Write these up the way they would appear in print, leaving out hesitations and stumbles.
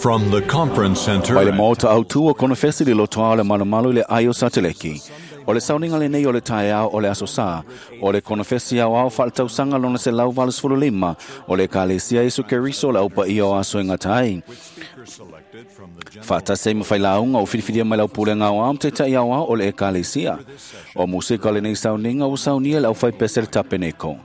From the conference center Mai le maota autu o konofesi le lotoa o le malumalu i le ai o Sateleki. O le sauniga lenei o le taeao o le aso Sā, o le konofesi aoao faaletausaga lona 185 o le Ekalesia Iesu Keriso o le Au Paia o Aso e Gata ai. Faatasi ai ma failauga o filifilia mai lau pulega aoao ma taitai aoao o le Ekalesia. O musika o lenei sauniga ua saunia e le aufaipese le Tapeneko.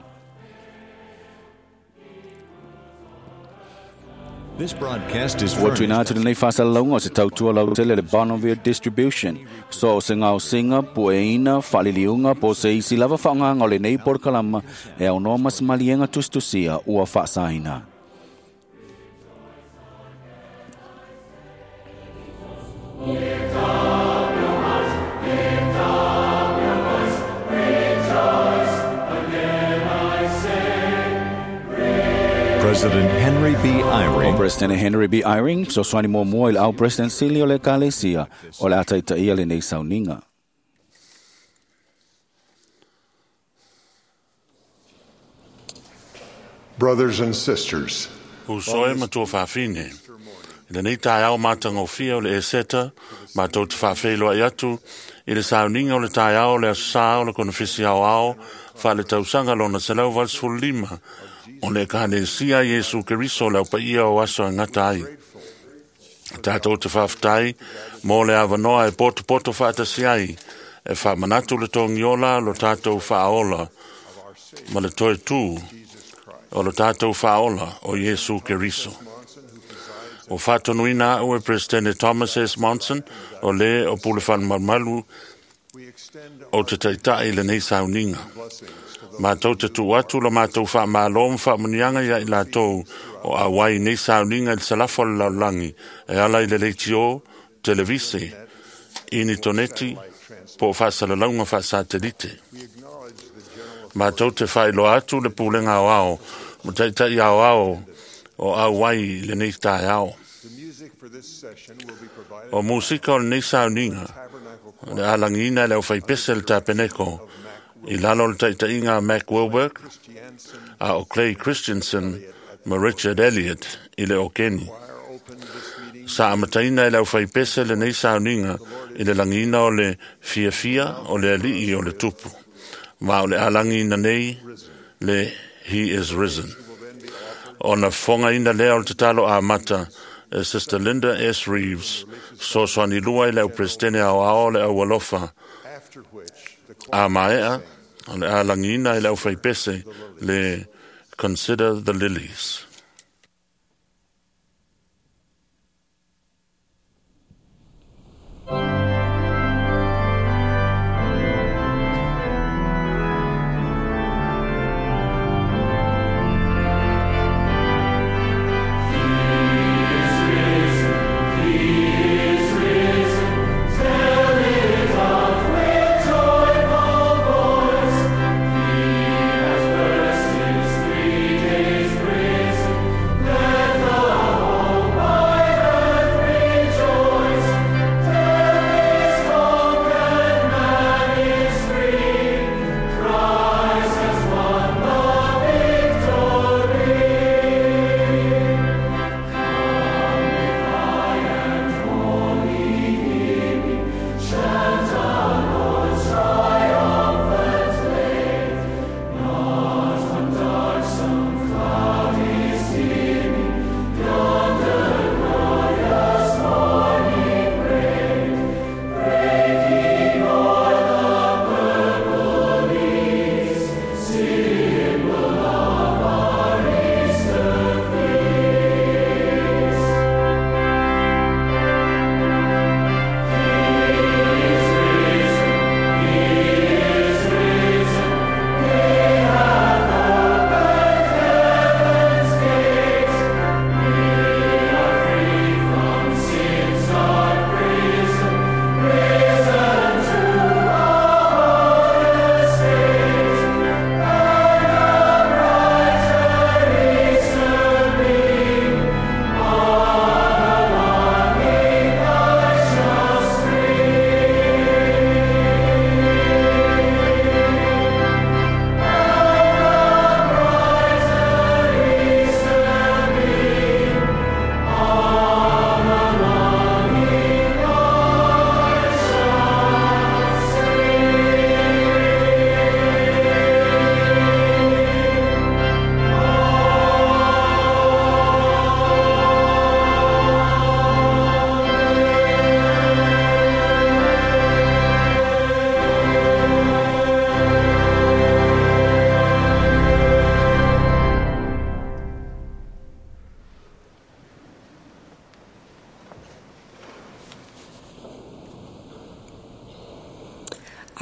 This broadcast is Ua tuuina furnished atu lenei faasalalauga o se tautua lautele le Bonneville Distribution. So o se gaosiga, pueina, faaliliuga po o se isi lava faaaogaga o lenei polokalama e aunoa ma se maliega tusitusia ua faasaina. President Henry B. O Eyring President Henry B. Eyring, fesoasoani muamua i le au President Sili o le Ekalesia o le a taitaia lenei sauniga. Brothers and sisters, Uso e matua faafine. I lenei taeao matagofie o le Eseta, matou te faafeiloai atu i le sauniga o le taeao o le aso Sā o le konofesi aoao faaletausaga lona 185 o le Ekalesia Iesu Keriso o le Au Paia o Aso e Gata ai. Tatou te faafetai mo le avanoa e potopoto faatasi ai e faamanatu le togiola lo tatou faaola ma le toe tū o lo tatou faaola o Iesu Keriso. O faatonuina au e Presidente Thomas S. Monson o le o pule whanmalumalu o te taitai i lenei sauniga. Mātou te tuu atu la mātou whaamalo ma whaamunianga ia i lātou o auai nei sauniga i le salafa o le lalolagi e ala i le leitio, televise, initoneti, po o faasalalauga faasatelite. Mātou te whailoa atu le pulega aoao ma taitai aoao o auai i lenei taeao. O musika o lenei sauniga, o le alagina e le aufaipese le Tapeneko i lalo o le taitaiga a Mac Wilberg, a o Clay Christensen ma Richard Elliott i le okeni. Sa amataina e le aufaipese lenei sauniga i le lagiina o le fiafia o le alii o le tupu. Ma o le alagina nei le He is Risen. Ona fofogaina lea o le tatalo amata e Sister Linda S. Reeves, fesoasoani lua i le au Peresetene aoao o le au alofa a maea o le alagiina e le aufaipese le Consider the Lilies. Three days risen.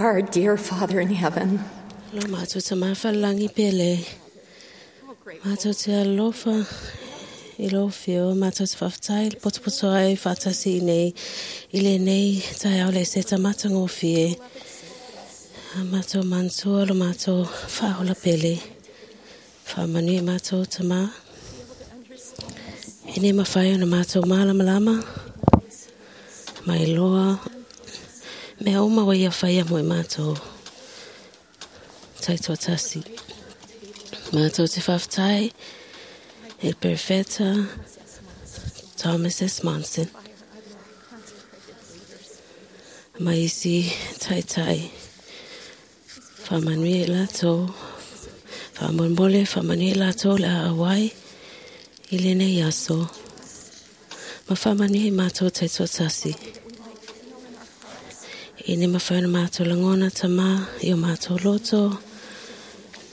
Our dear Father in heaven, Lo mātou te mawhalangi pele. Mātou te alofa i lo whio, mātou te whawhtai, potopoto ai whātasi i nei, i le nei tai au le seta matango whie. A mātou mantua lo mātou whaola pele. Whaamanu i mātou te mā. E ne mawhai o na mātou mālamalama. Mai loa. Mea uma wa ia whaia mo i mātou. Taitoa tasi. Mātou te whawhtai, e Perfeta Thomas S. Monson. Mai isi taitai. Whamanui e lātou. Whamolmole, whamanui e lātou le a awai i le nei aso. Ma whamanui e mātou taitoa tasi. I ne mawhaina mātou langona tama i o mātou loto.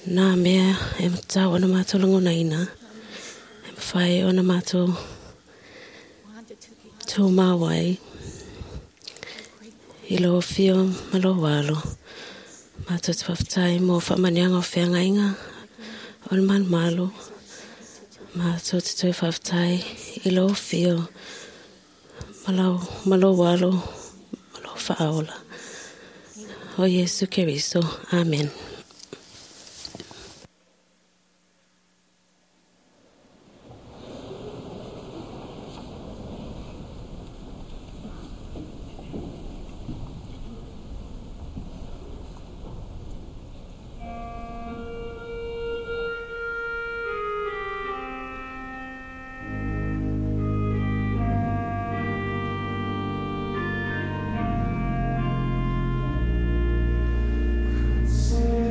Nā mea e matau ona mātou langona ina. E mawhai ona mātou tū māwai. I lo whio ma lo walo. Mātou te whawhtai mō whamanianga o whiangainga o le man malo. Mātou te toi whawhtai i lo whio ma lo walo ma lo whaola. O Yesu Keriso. Amen. Consider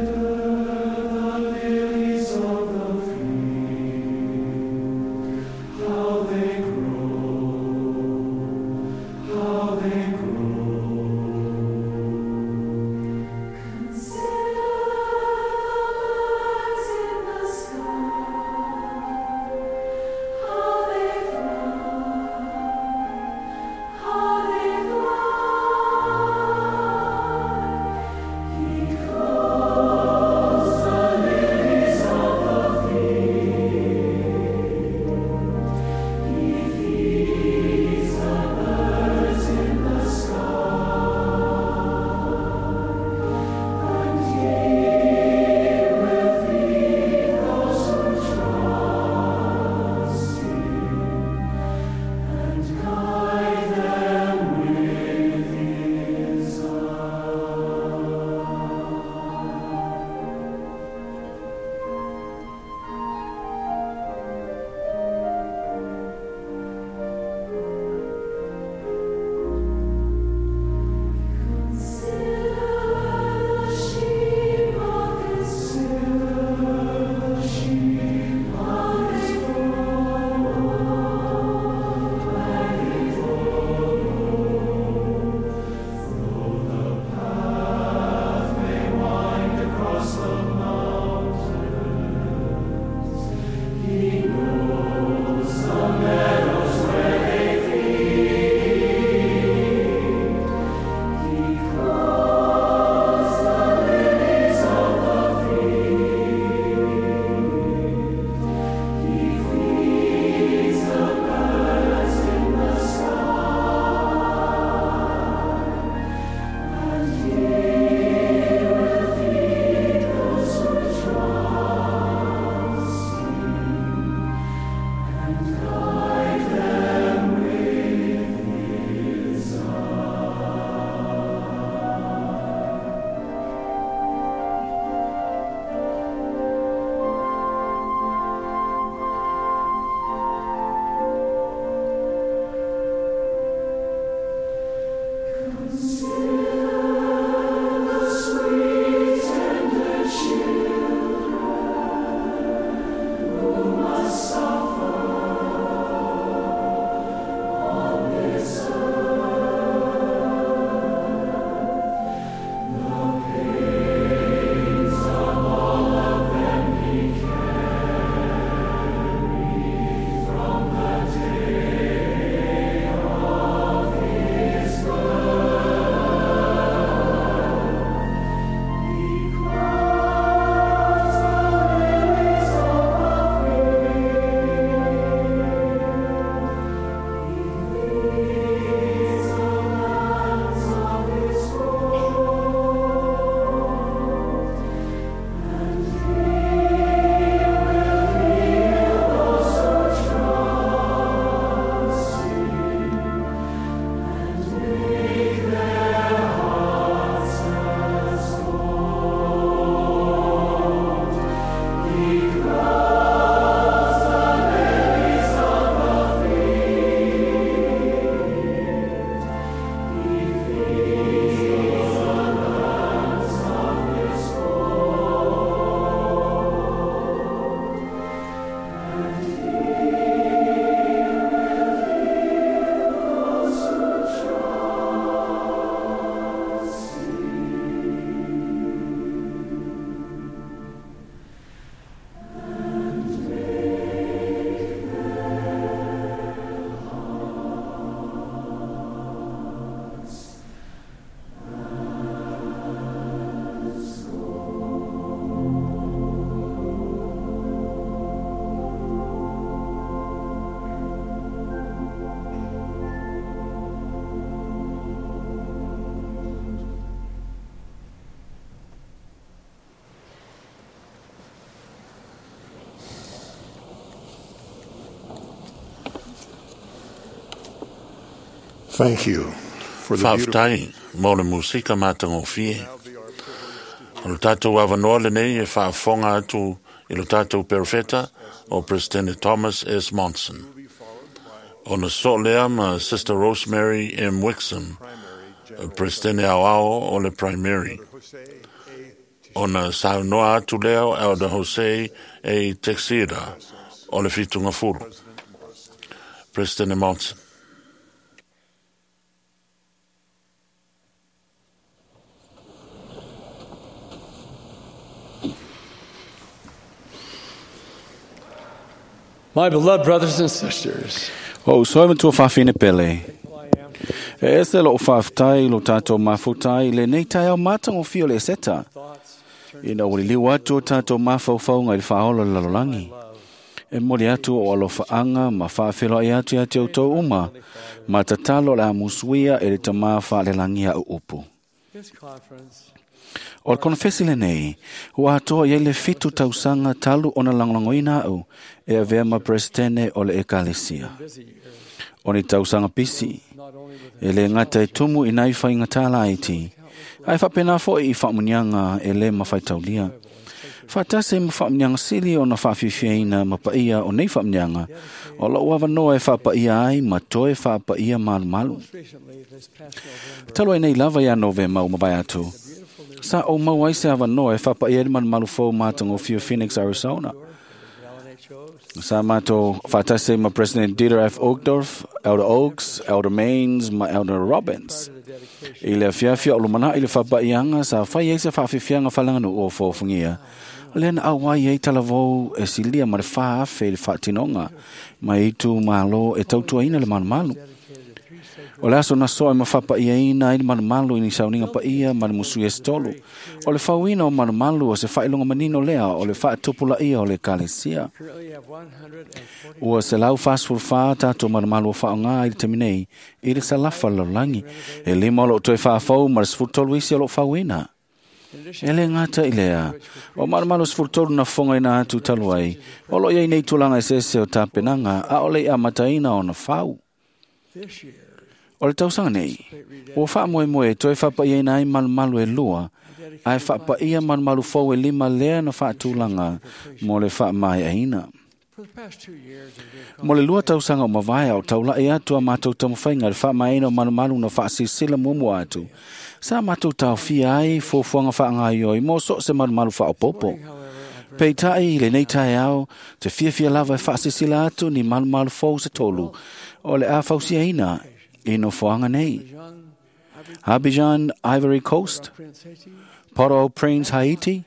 Thank you for the beautiful Faafetai mo le musika matagofie. O le tatou avanoa lenei e faafofoga atu i lo tatou perofeta o Presidente Thomas S. Monson. Ona soo lea ma Sister Rosemary M. Wixom, Presidente aoao o le Primary. Ona saunoa atu lea o Elder Jose A. Teixeira o le Fitungafulu. President Monson. My beloved brothers and sisters, O usoi matua faafine pele. E ese loo faafetai lo tatou mafutai i lenei taeao matagofie o le Eseta. Ina ua liliu atu o tatou mafaufauga i le faaola o le lalolagi. E moli atu o alofaaga ma faafeiloai atu ia te outou uma, ma tatalo o le a musuia e le tamā faalelagi au upu. this conference O le konofesi lenei, ua atoa i ai le 7 tausaga talu ona lagolagoina au e avea ma presidente o le ekalesia. busy years, O ni tausaga pisi, not only with e le gata e tumu i nai whainga laiti, ai whapena foi i whaamunianga e le mawhaitaulia. Whaatase ma whaamunianga sili o na whaafifiaina ma paia o nei whaamunianga, o lau awanoa e whaapaia ai ma toe whaapaia malu malu. most recently this past November, Talo ai nei lava ia Novema o mawai atu. Sa o mau ai se awanoa e whaapaia i malumalu fou mātangofia Phoenix, Arizona. Alan H. Oaks, Sa mātou whaatase ma President Dieter F. Uchtdorf, Elder Oaks, Elder Maines, ma Elder Robbins. the dedication I le afiafia o lumana i le whapaianga sa whai ai se whaafifianga whalanganu o fōfungia. Le na au ai ei talavou e silia ma le whaafe i le whaatinonga ma i tu malo e tautuaina le malumalu. dedicated to three sacred O le aso na soa e mawhapaia ina i le malumalu i ni sauninga paia ma le musu e stolu. O le whauina o malumalu o se whailonga manino lea o le whaatupula ia o le kalesia. currently have 140 Ua se lau whasfurwha tātou malumalu o whaonga i le teminei i le salafa lalolagi. E lima o loo toe whaafau ma le 13 isi o loo whauina. In addition E le ngata i lea. O malumalu 13 na fonga ina atu talu ai. O lo iai nei tulaga e sese o tāpenanga a o le i amataina o na whau. this year, O le tausaga nei, ua faamoemoe e toe faapaiaina ai malumalu e lua, ae faapaia malumalu fou e lima lea na faatulaga mo le faamaeaina. for the past 2 years, we've been Mo le 2 tausaga o mavae o taulai atu a mātou taumafaiga i le faamaeaina o malumalu na faasilasila muamua atu. Sa mātou taofia ai fuafuaga faagaioi mo so o se malumalu faaopoopo. however, I'm very Peitai i lenei taeao, te fiafia lava e faasilasila atu ni malumalu fou se tolu o le a fausiaina i nofoaga nei. young Abidjan, Ivory Coast, Prince Haiti, Port-au-Prince, Haiti,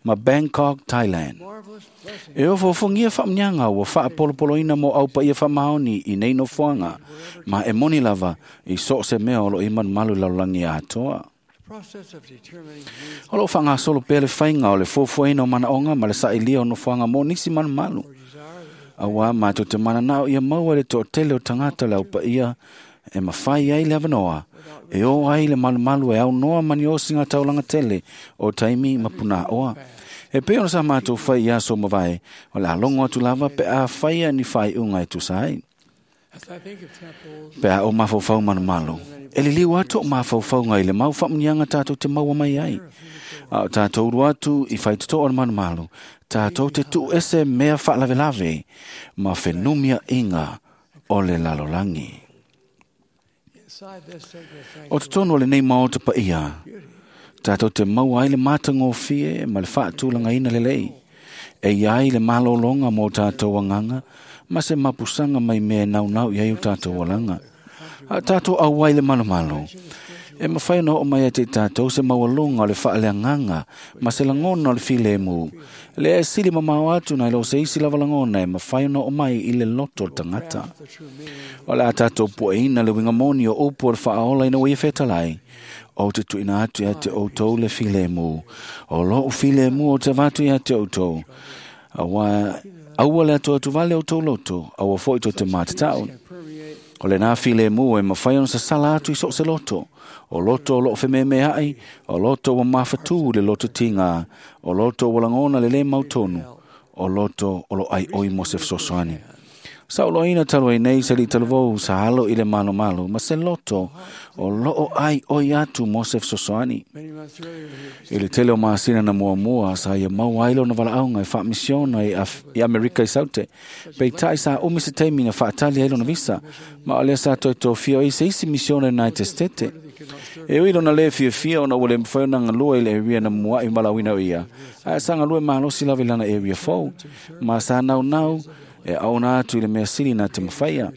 ma Bangkok, Thailand. marvelous blessing E ofofogia whaamnianga ua whaapolopoloina mo au paia whamaoni i nei nofoaga, ma e moni lava i so se mea o lo i malumalu lalolagi atoa. process of determining needs O lo whangasolo pea le whainga o le fuafuaina o manaonga ma le sailia o nofoaga mo nisi malumalu. or desire Aua mātou te mananao ia maua le toatele o tangata le au paia e mawhai ai le avanoa. E o ai le malumalu e au noa mani o singa taulanga tele o taimi mapuna oa. E pe ona sa mātou whai i aso mavae, o le alongo atu lava pe a whaia ni whai unga e tusa ai. As I think of temples, Pe a o mafaufau malumalu. E liliu atu o mafaufauga i le mau whaamunianga tātou te maua mai ai. A o tātou uru atu i whaitoto o le malumalu, tātou te tuu ese mea whaalavelave, ma whenumia inga o le lalolangi. inside this sacred O sanctuary, totonu o lenei maota paia, tātou te maua ai le matagofie ma le faatulagaina lelei. E iai le malōlōga mo tātou agaga, ma se mapusaga mai mea e naunau i ai o tātou alaga. A tātou auai le malumalu. E mawhai ona oo mai ai te tātou se maualuga o le faaleagaga ma se lagona o le filemu. Le e sili mamao atu nai lo se isi lava lagona e mawhai ona oo mai i le loto o le tagata. the true meaning O le a tātou pueina le winga moni o upu o le whaaola ina ua whetalai. O te tuina atu ia te outou le filemu. O loo filemu o te vatu ia te outou. Aua, aua le atu atu vale o tō loto, aua foi tō te mātatau. can permeate O le nā filemu e mawhai ona sasala atu i so se loto. O loto o loo whememe ai, o loto o mawhatu le loto tinga, o loto o langona le le mautonu, o loto o lo ai oi mo se fesoasoani. Sa uloina talu ai nei se alii talavou sa alo i le malomalo ma se loto o loo ai oi atu mo se fesoasoani. I le tele o masina na muamua sa ia maua ai lona valaauga e faamisiona i Amerika i Saute. Peitai sa umi se taimi na faatali ai lona visa, ma o lea sa toe tofia ai se isi misiona United States. E ui lona lē fiafia ona ua le mafai ona galue i le area na muaʻi valaauina o ia, ae sa galue malosi lava i lana area fou, ma sa naunau e aona atu i le mea sili na te mafaia.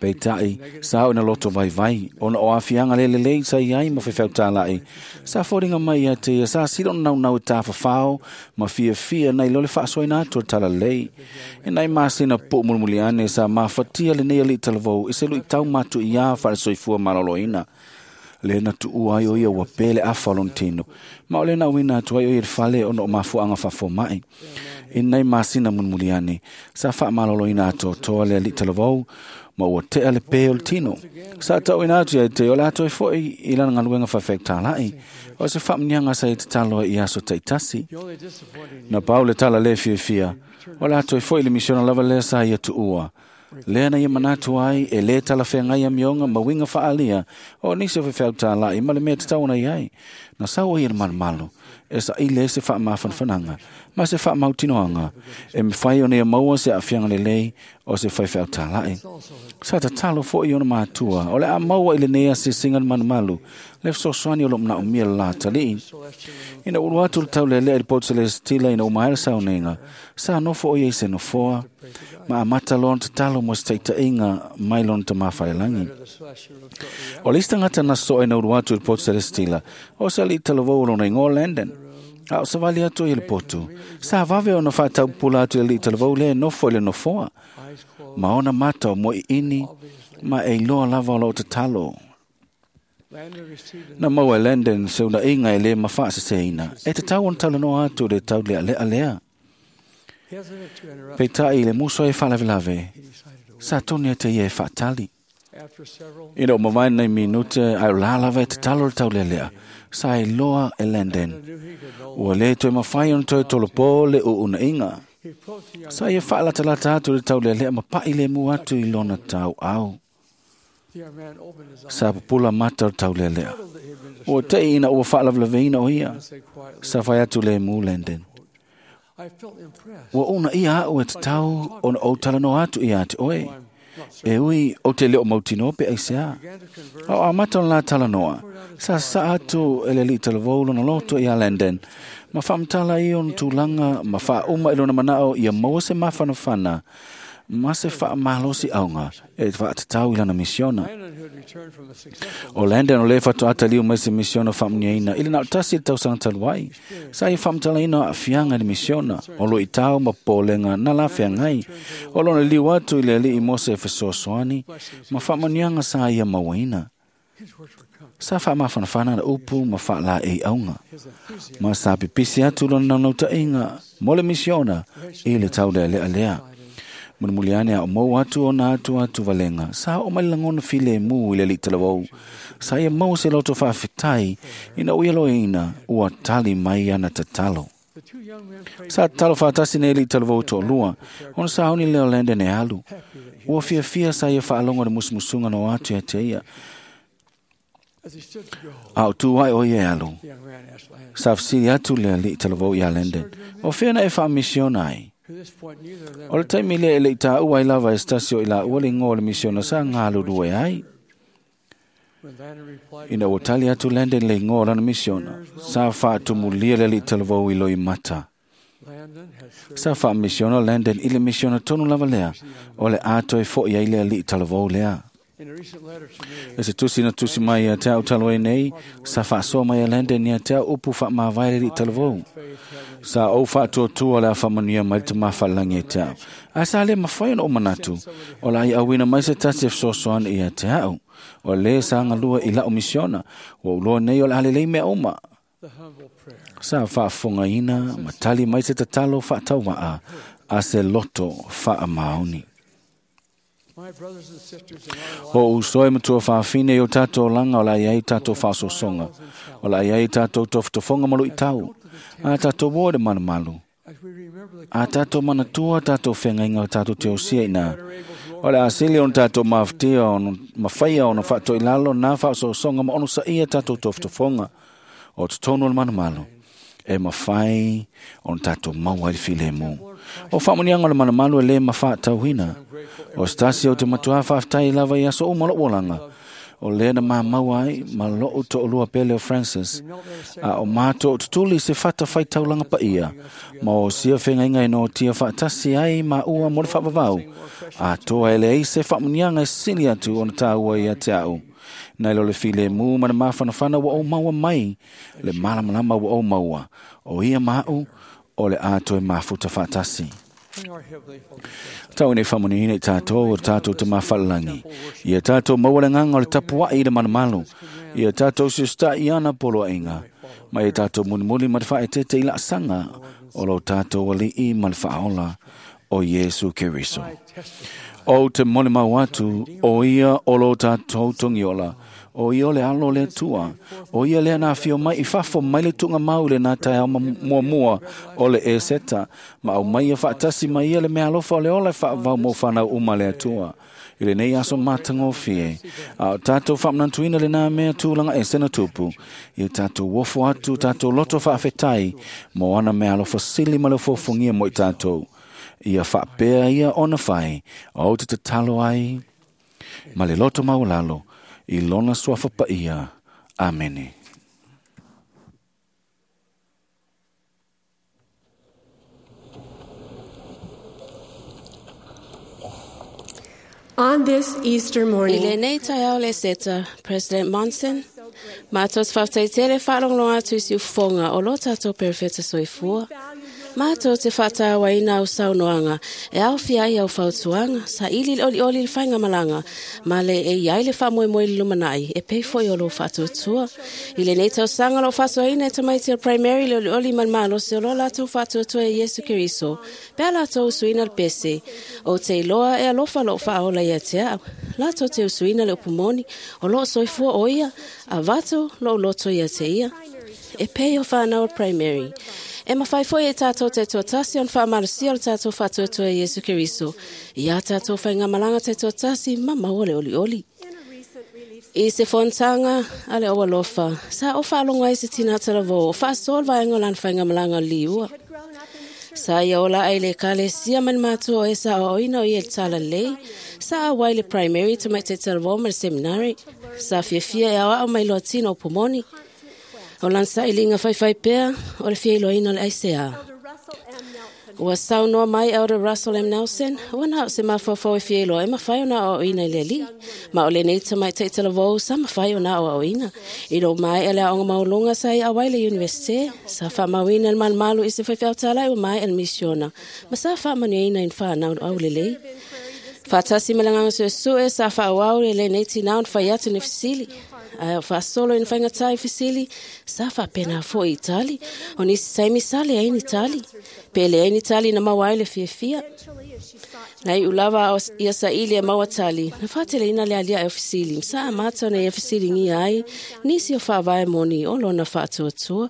Peitai, sa oo ina loto vaivai, ona o aafiaga le lelei sa i ai ma faifeau tālaʻi. Sa foliga mai ia te ia sa sili ona naunau e tafafao ma fiafia nai lo le faasoaina atu o le talalelei. E nai masina puu mulimuli ane sa mafatia lenei alii talavou i se luitau matuiā faalesoifua maloloina. Lea na tuua ai o ia ua pē le afa o lona tino, ma o lea na auina atu ai o ia i le fale ona o mafuaaga faafomaʻi. I nai masina mulimuli ane, sa faamaloloina atoatoa le alii talavou, ma ua tea le pē o le tino. Sa tauina atu ia te o le atoe foʻi i lana galuega faafeautaalaʻi, o se faamuniaga sa ia tatalo ai i aso taitasi. Na pau le tala lē fiafia, o le atoe foʻi le misiona lava lea sa ia tuua. Lea na ia manatu ai e lē talafeagai amioga ma uiga faaalia o nisi o faifeau tālaʻi ma le mea tatau ona iai. Na sau ai e le malomalo e saʻili ai se faamafanafanaga ma se faamautinoaga e mafai ona ia maua se aafiaga lelei o se faifeau tālaʻi. Sa tatalo foʻi ona matua o le a maua i lenei asiasiga le malumalu le fesoasoani o loo manaomia le la talii. Ina ulu atu le taulealea i le poto selesitila ina uma ai le sauniga, sa nofo o ia i se nofoa ma amata lona tatalo mo se taʻitaʻiga mai lona tamā falelagi. O le isi tagata na soʻe na ulu atu i le poto selesitila o se alii talavou o lona igoa Landon. A o savali atu ia le potu, sa vave ona faataupula atu i le alii talavou lea e nofo i le nofoa, ma ona mata o moeʻiʻini ma e iloa lava o loo tatalo. Na maua e Landon se unaʻiga e lē mafaaseseina, e tatau ona talanoa atu le taulealea lea. Peitai i le muso ai faalavelave, sa toni ate ia e faatali. Ina ua mavae nei minute ae o la lava e tatalo le taulealea, sa iloa e Landon. Ua lē toe mafai ona toe tolopō le uunaʻiga. Sa ia faalatalata atu le taulealea ma paʻi lemu atu i lona tauau. Sa pupula mata o le taulealea. Ua teʻi ina ua faalavelaveina o ia. Sa fai atu lemu Landon. Ua uuna ia aʻu e tatau ona ou talanoa atu ia te oe. E ui o te leo mautinoa pe aisea. A o amata ona la talanoa, sa sasaa atu e le alii talavou lona loto ia Landon, ma faamatala ai ona tulaga ma faauma i lona manaʻo ia maua se mafanafana ma se faamalosiꞌauga e faatatau i lana misiona. O Landon o lē faatoa taliu mai se misiona faamuniaina i le na o tasi i le tausaga talu ai. Sa ia faamatalaina aafiaga i le misiona, o luitau ma popolega na lafeagai, o lona liu atu i le alii mo se fesoasoani ma faamanuiaga sa ia mauaina. Sa faamafanafana na upu ma faalaeiauga, ma sa pipisi atu lona naunautaiga mo le misiona i le taulealea lea. Mulimuli ane a o mau atu ona atu atu valega, sa oo mai le lagona filemu i le alii talavou. Sa ia maua se loto faafetai ina ua ia loeina ua tali mai ana tatalo. Sa tatalo faatasi nei alii talavou toalua, ona sauni lea o Landon e alu. Ua fiafia sa ia faalogo i le musumusuga na o atu ia te ia. A o tu ai o ia e alu, sa fesili atu le alii talavou iā Landon, o fea na e faamisiona ai? O le taimi lea e leʻi tāua ai lava e se tasi o i laua le igoa o le misiona sa galulue ai. Ina ua tali atu Landon le igoa o lana misiona, sa faatumulia le alii talavou i loimata. Sa faamisiona Landon i le misiona tonu lava lea, o le a toe foʻi ai le alii talavou lea. E se tusi na tusi mai ia te au talu ai nei, sa faasoa mai a Landon ia te au upu faamavae le alii talavou. Sa ou faatuatua le afaamanuia mai le tamā faalelagi e te au. Ae sa lē mafai ona ou manatu, o le a ia auina mai se tasi e fesoasoani ia te au. O lē sa galua i laʻu misiona, ua uloa nei o le a lelei mea uma. Sa faafofogaina ma tali mai se tatalo faatauvaa a se loto faamaoni. O uso e matua faafine i o tātou olaga o le a i ai tātou faasoasoga, o le a i ai tātou tofotofoga ma luitau, a tātou o i le malumalu. A tātou manatua tātou whengainga o tātou te osia ina. O le asili ona tātou mawhtia ona mawhaia ona whaatoi lalo nā whaasosonga ma ono sa ia tātou toftofonga o te tonu o le manumalo. E mawhai ona tātou maua i filemu. O whaamonianga o le manumalo e le mawhaatauhina. O stasi o te matua whaaftai lava i aso o malo olanga. O lea na māmaua ai ma loo to'olua pele o Francis. A o mātou o tutuli se fata whai taulanga pa ia. Ma o sia whengainga e no tia whaatasi ai ma ua mo le whaavavau. A toa ele ei se whaamunianga e sili atu ona tāua ia te au. Nei lo le file mū mana māwhanawhana wa o maua mai. Le malamalama wa o maua. O ia maau o le ātoe mafuta whaatasi. Tau nei whamuniina i tātou o tātou te mawhalalangi. Ia tātou maualenganga o le tapuai i le manamalu. Ia tātou siusta i ana poloa inga. Ma ia tātou munimuli ma te whaetete i laasanga o lo tātou ali'i ma le whaola o Yesu Keriso. O te mole mau atu, o ia o lo tātou tongiola. O ia o le alo le tua. O ia lea nā whio mai i whafo mai le tunga mau le nā tai au mua mua o le e seta. Ma au mai ia whaatasi mai ia le mea alofa o le ola e whaavau mō whanau uma le atua. I le nei aso mātangofie. A o tātou whaamnantuina le nā mea tūlanga e sena tupu. Ia tātou wofo atu, tātou loto whaafetai. Mō ana mea alofa sili ma le fofongia mo i tātou. Ia whaapea ia ona whai. O te tatalo ai. Ma le loto maulalo. I lona suafa pa ia. Amene. On this Easter I le morning, nei taeao le seta, President Monson, mātou te whawhataitele whaalonglonga atu i si ufonga o lo tātou perefeta soifua. Mātou te whātāwaina au saunoanga, e au fia ai au whautuanga, sa ili le oli oli le whainga malanga, ma le e iai le whaamoemoe le lumanai, e pei foi o lo whaatuatua. I le nei tausanga lo whasoaina e tamaiti o primary le oli oli man malo se o lo lātou whaatuatua e Yesu Keriso, pea lātou usuina le pese, o te iloa e alofa lo whaaola ia te au, lātou te usuina le upumoni, o lo soifua o ia, a vato lo loto ia te ia. E pei o whanau o primary. E mawhai foi e tātou te tuatasi on whaamarusia o le tātou whātuatua e Yesu Keriso. I a tātou whai ngā malanga te tuatasi, ma maua le oli oli. I se fontanga a le oa lofa, sa o whaalonga i se tina taravō, o whaasol vaenga o lan whai ngā malanga o liua. Sa ia ola ai le kale sia man mātua o e sa o oina o i el tala lei, sa a wai le primary te mai te taravō ma le seminari, sa fiafia e awa au mai loa tina o pomoni. O lan sa ilinga whaiwhai pea, o le fia iloina o le ICA. Ua saunoa mai Elder Russell M. Nelson, ua nā o se mawhawhau e fia iloa, e mawhai o nā o oina i le li. Ma o le nei tamai teitala vau, sa mawhai o nā o oina. I ro mai ele aonga maulunga sa i awai le universite, sa whamauina le malumalu i se whaiwhau tālai o mai ele misiona. Ma sa whamanuina i whanau au le lei. Whātasi malanganga sue sa whaawau le le nei tinau whai atu ni fisili. Ai o whaasolo i whainga tai fisili, sa whapena fo i Itali. O nisi saimi sale ai ni Itali. Pele ai ni Itali na maua ai le fiafia. Nei ulawa o ia sa ili e maua tali. Na whaatele ina le alia e o fisili. Msa a mātou nei e fisili ngia ai, nisi o whaavae moni o lona whaatuatua.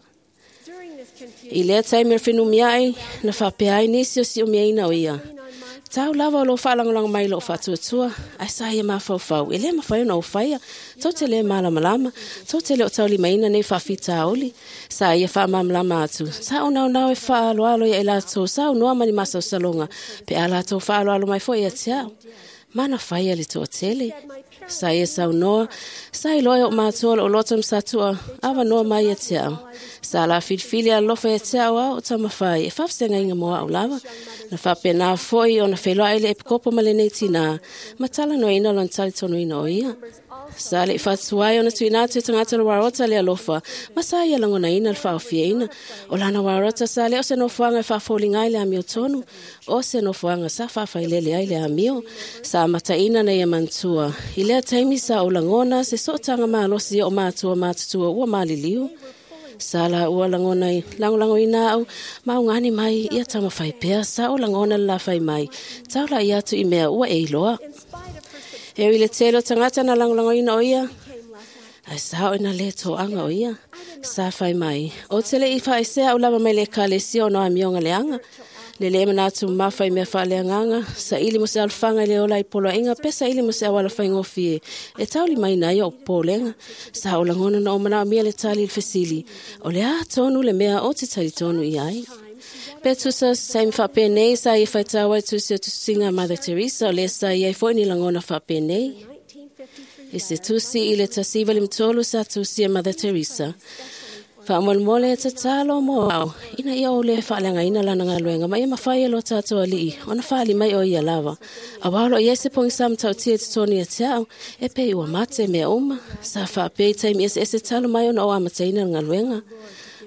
I lea taimi o whenumia ai, na whapea ai nisi o si o miaina o ia. Tau lava o lo whaalangolanga mai lo whaatuatua, ai sa ia mawhauwhau, e le mawhai ona o whaia, tau te le malamalama, tau te le o tauli maina nei whawhita aoli, sa ia whaamamlama atu, sa o nau nau e whaaloalo ia e lātou, sa o noa mani masa o salonga, pe a lātou whaaloalo mai fo ia te au. Mana whaia le toatele. Sa ia saunoa, sa i loe o mātua o loto msatua, awa noa mai ia te au. Sa la filifili alofa ia te au au o tamawhai, e whawhisenga inga moa au lava. Na whapena foi o na wheloa ele epikopo ma le nei tina, matala no ina lon tali tonu ina o ia. Sa le whatuai o na tuina atu e tangata le warota le alofa, ma sa ia langona ina le whaofia ina. O lana warota sa le o se nofoanga e whaafolinga ai le amio tonu, o se nofoanga sa whawhailele ai le amio, sa mataina na ia mantua. I lea taimi sa o langona se sootanga malosi o mātua mātutua ua maliliu. Sa la ua langona i langolango ina au, maungani mai ia tamawhai pea, sa o langona le la whai mai, taula i atu i mea ua e iloa. E ui le telo tangata na langolango ina o ia, ai sa o ina le toanga o ia. Sa fai mai, o te le i whaesea au lava mai le ekalesia o no amioga leaga. Le le manatu mafa i mea faaleagaga, saili mo se alofaga i le ola i poloaiga pe saili mo se auala faigofie e taulimaina ai o'u popolega. Sa ou lagona na ou manaomia le tali i le fesili, o le a tonu le mea o te talitonu i ai. Pe tusa se taimi faapenei sa ia faitau ai tusi o tusiga a Mother Teresa o lea sa i ai foi ni lagona faapenei. I se tusi i le 1953 sa tusi e Mother Teresa. Faamolemole e tatalo mo au, ina ia ou lē faaleagaina lana galuega ma ia mafai e lo tatou alii ona faali mai o ia lava. Auā o loo i ai se pogisa matautia i totonu ia te au, e pei ua mate mea uma. Sa faapea i taimi eseese talu mai ona ou amataina le galuega.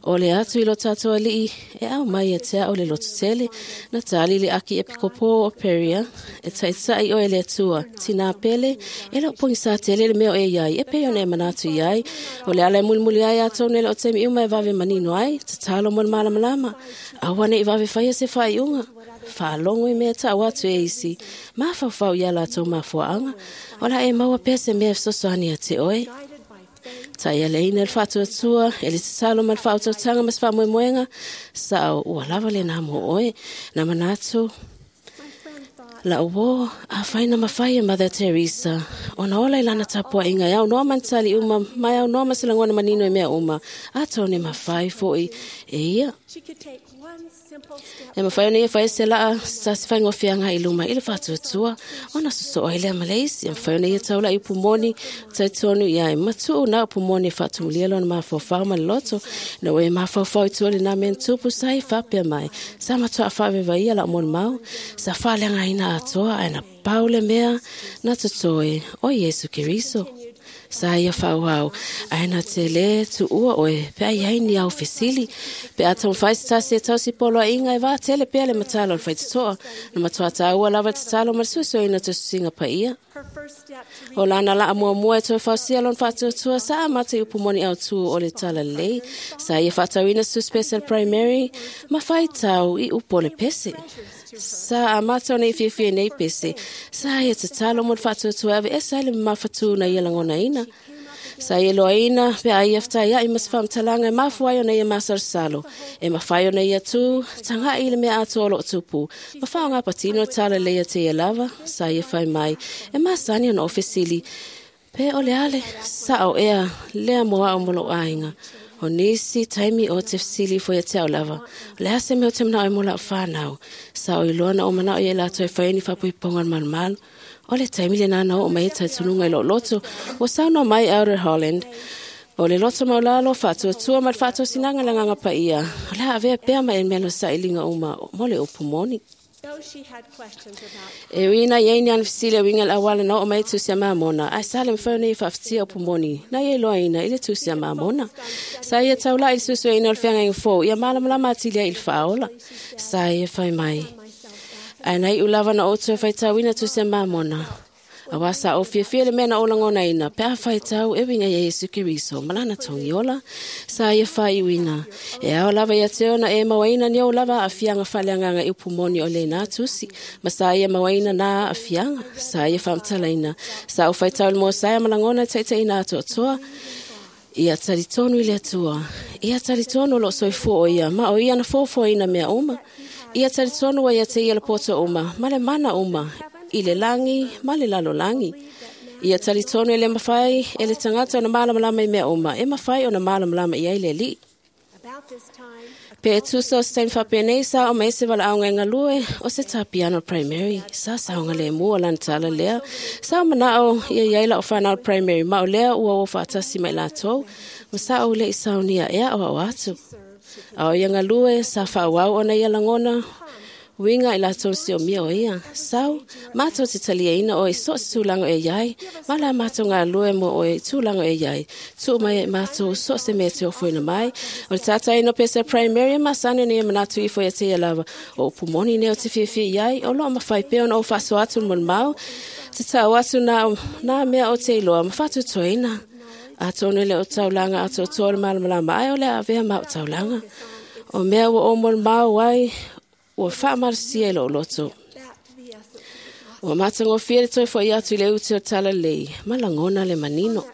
O le atu i lo tatou alii e au mai ia te au le lototele, na tali le aki epikopo o Peria, e taita'i oe le Atua, tinā pele, e le o pogisa tele le mea o e iai, e pei ona e manatu iai. O le ala e mulimuli ai atonu e le o taimi uma e vave manino ai, tatalo mo le malamalama. Aua ne'i vave faia se faaiuga. Faalogo i mea ta'u atu e isi, mafaufau ia latou mafuaaga, o la e maua pea se mea e fesoasoani ia te oe. Taialeina le faatuatua, e le tatalo ma le faautautaga ma se faamoemoega, sa'o ua lava lenā mo oe. Na manatu, la'u uō, afai na mafai e Mother Teresa ona ola i lana tapua'iga e aunoa ma ni tali uma ma e aunoa ma se lagona manino i mea uma, atonu e mafai fo'i e ia. E mafai ona ia faia se la'a se tasi faigofie agai i luma i le faatuatua ona sosoo ai lea ma le isi. E mafai ona ia taula'i upu moni talitonu i ai matuu na upu moni e faatumulia lona mafaufau ma le loto. Ina ua e mafaufau i tua lenā mea na tupu sa i faapea mai, sa matua'a faavevaia la'u molimau, sa faaleagaina atoa ae na pau le mea na totoe o Iesu Keriso. Sa ia faaauau, ae na te lē tuua oe pe a iai ni au fesili. Pe a taumafai se tasi e tausi poloaiga e vatele pea le matala o le faitotoa. Na matuā tāua lava le tatalo ma le suesueina o tusitusiga paia. O lana laa muamua e toe fausia lona faatuatua sa amata i upu moni autū o le talalelei. Sa ia faatauina se tusi pese a le primary ma faitau i upu o le pese. Sa amata ona ia fiafia nei pese. Sa ia tatalo mo le faatuatua e aveese ai le mamafatū na ia lagonaina. Sa ia loaina pe a ia fetaia'i ma se faamatalaga e mafua ai ona ia masalosalo. E mafai ona ia tū, taga'i i le mea atoa o loo tupu. Ma faaaogā patino le talalelei ia te ia lava, sa ia fai mai, e masani ona ou fesili, pe o le a le sa'o ea lea mo a'u ma lo'u aiga. O nisi taimi o te fesili ifo ia te au lava, o le a se mea o te mana'o ai mo la'u fanau. Sa o iloa na ou mana'o ia i latou e fai ai ni faapuipuiga o le malumalu. O le taimi lenā na oo mai ai talitonuga i lou loto, ua saunoa mai Elder Holland, o le loto maulalo, faatuatua ma le faatosinaga i le Agaga Paia, o le a avea pea ma e mea no sailiga uma mo le upu moni. E ui ina iai ni ana fesili e uiga i le auala na oo mai ai tusi a Mamona, ae sa le mafai ona ia faafatia upu moni na ia iloaina i le tusi a Mamona. Sa ia taula'i i le suesueina o le feagaiga fou ia malamalama atili ai i le faaola. Sa ia fai mai, Ae na iu lava na ou toe faitauina tusi a Mamona, auā sa ou fiafia i le mea na ou lagonaina pe a faitau e uiga ia Iesu Keriso ma lana togiola. Sa ia faaiuina, e ao lava ia te ona e mauaina ni ou lava aafiaga faaleagaga i upu moni o lenā tusi, ma sa ia mauaina nā aafiaga. Sa ia faamatalaina, sa ou faitau i le Mosaia ma lagona e taitaiina atoatoa. Ia talitonu i le Atua. Ia talitonu o loo soifua o ia, ma o ia na foafoaina mea uma. Ia talitonu ua ia te ia le poto uma, ma le mana uma, i le lagi ma le lalolagi. Ia talitonu e le mafai e le tagata ona malamalama i mea uma, e mafai ona malamalama i ai le Alii. Pe e tusa o se taimi faapenei sa oo mai se valaauga e galue o se tā piano primary. Sa saogalemu o lana tala lea. Sa ou mana'o ia i ai la'u fanau primary ma o lea ua o faatasi ma i latou ma sa ou le'i saunia e aʻoaʻo atu. A o ia galue sa faaauau ona ia lagona uiga i latou siomia o ia. Sau, matou te taliaina oe i so o se tulaga e i ai, ma la matou galue mo oe i tulaga e i ai. Tuu mai e matou so o se mea e te ofoina mai. O le tātaina o pese primary e masani ona ia manatu ifo ia te ia lava. O upu moni nei o te fiafia i ai, o loo mafai pea ona ou faasoa atu le molimau, te tau atu nā, nā mea o te iloa ma faatutoina. Atonu e le o taulaga atoatoa le malamalama ae o le a avea ma au taulaga. O mea ua ou molimau ai, ua faamalosia i lou loto. Ua matagofie le toe fo'i atu i le ute o talalelei ma lagona le manino.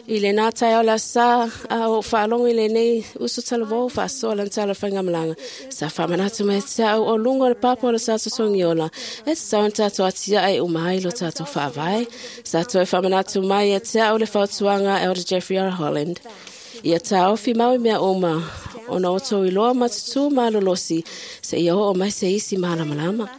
I le nā tae o la sa a o whaalongo i le nei uso talavou whaasoa lan tala whaingamalaga. Sa whamanatu mai te au o lungo le papa o le tātou togiola. E te tau tātou atia ai umai lo tātou whaavai. Sa toe whamanatu mai e te au le whautuanga Elder Jeffrey R. Holland. Ia tāofi mau i mea uma, ona o tō iloa matutu malolosi, se ia o mai se isi malamalama.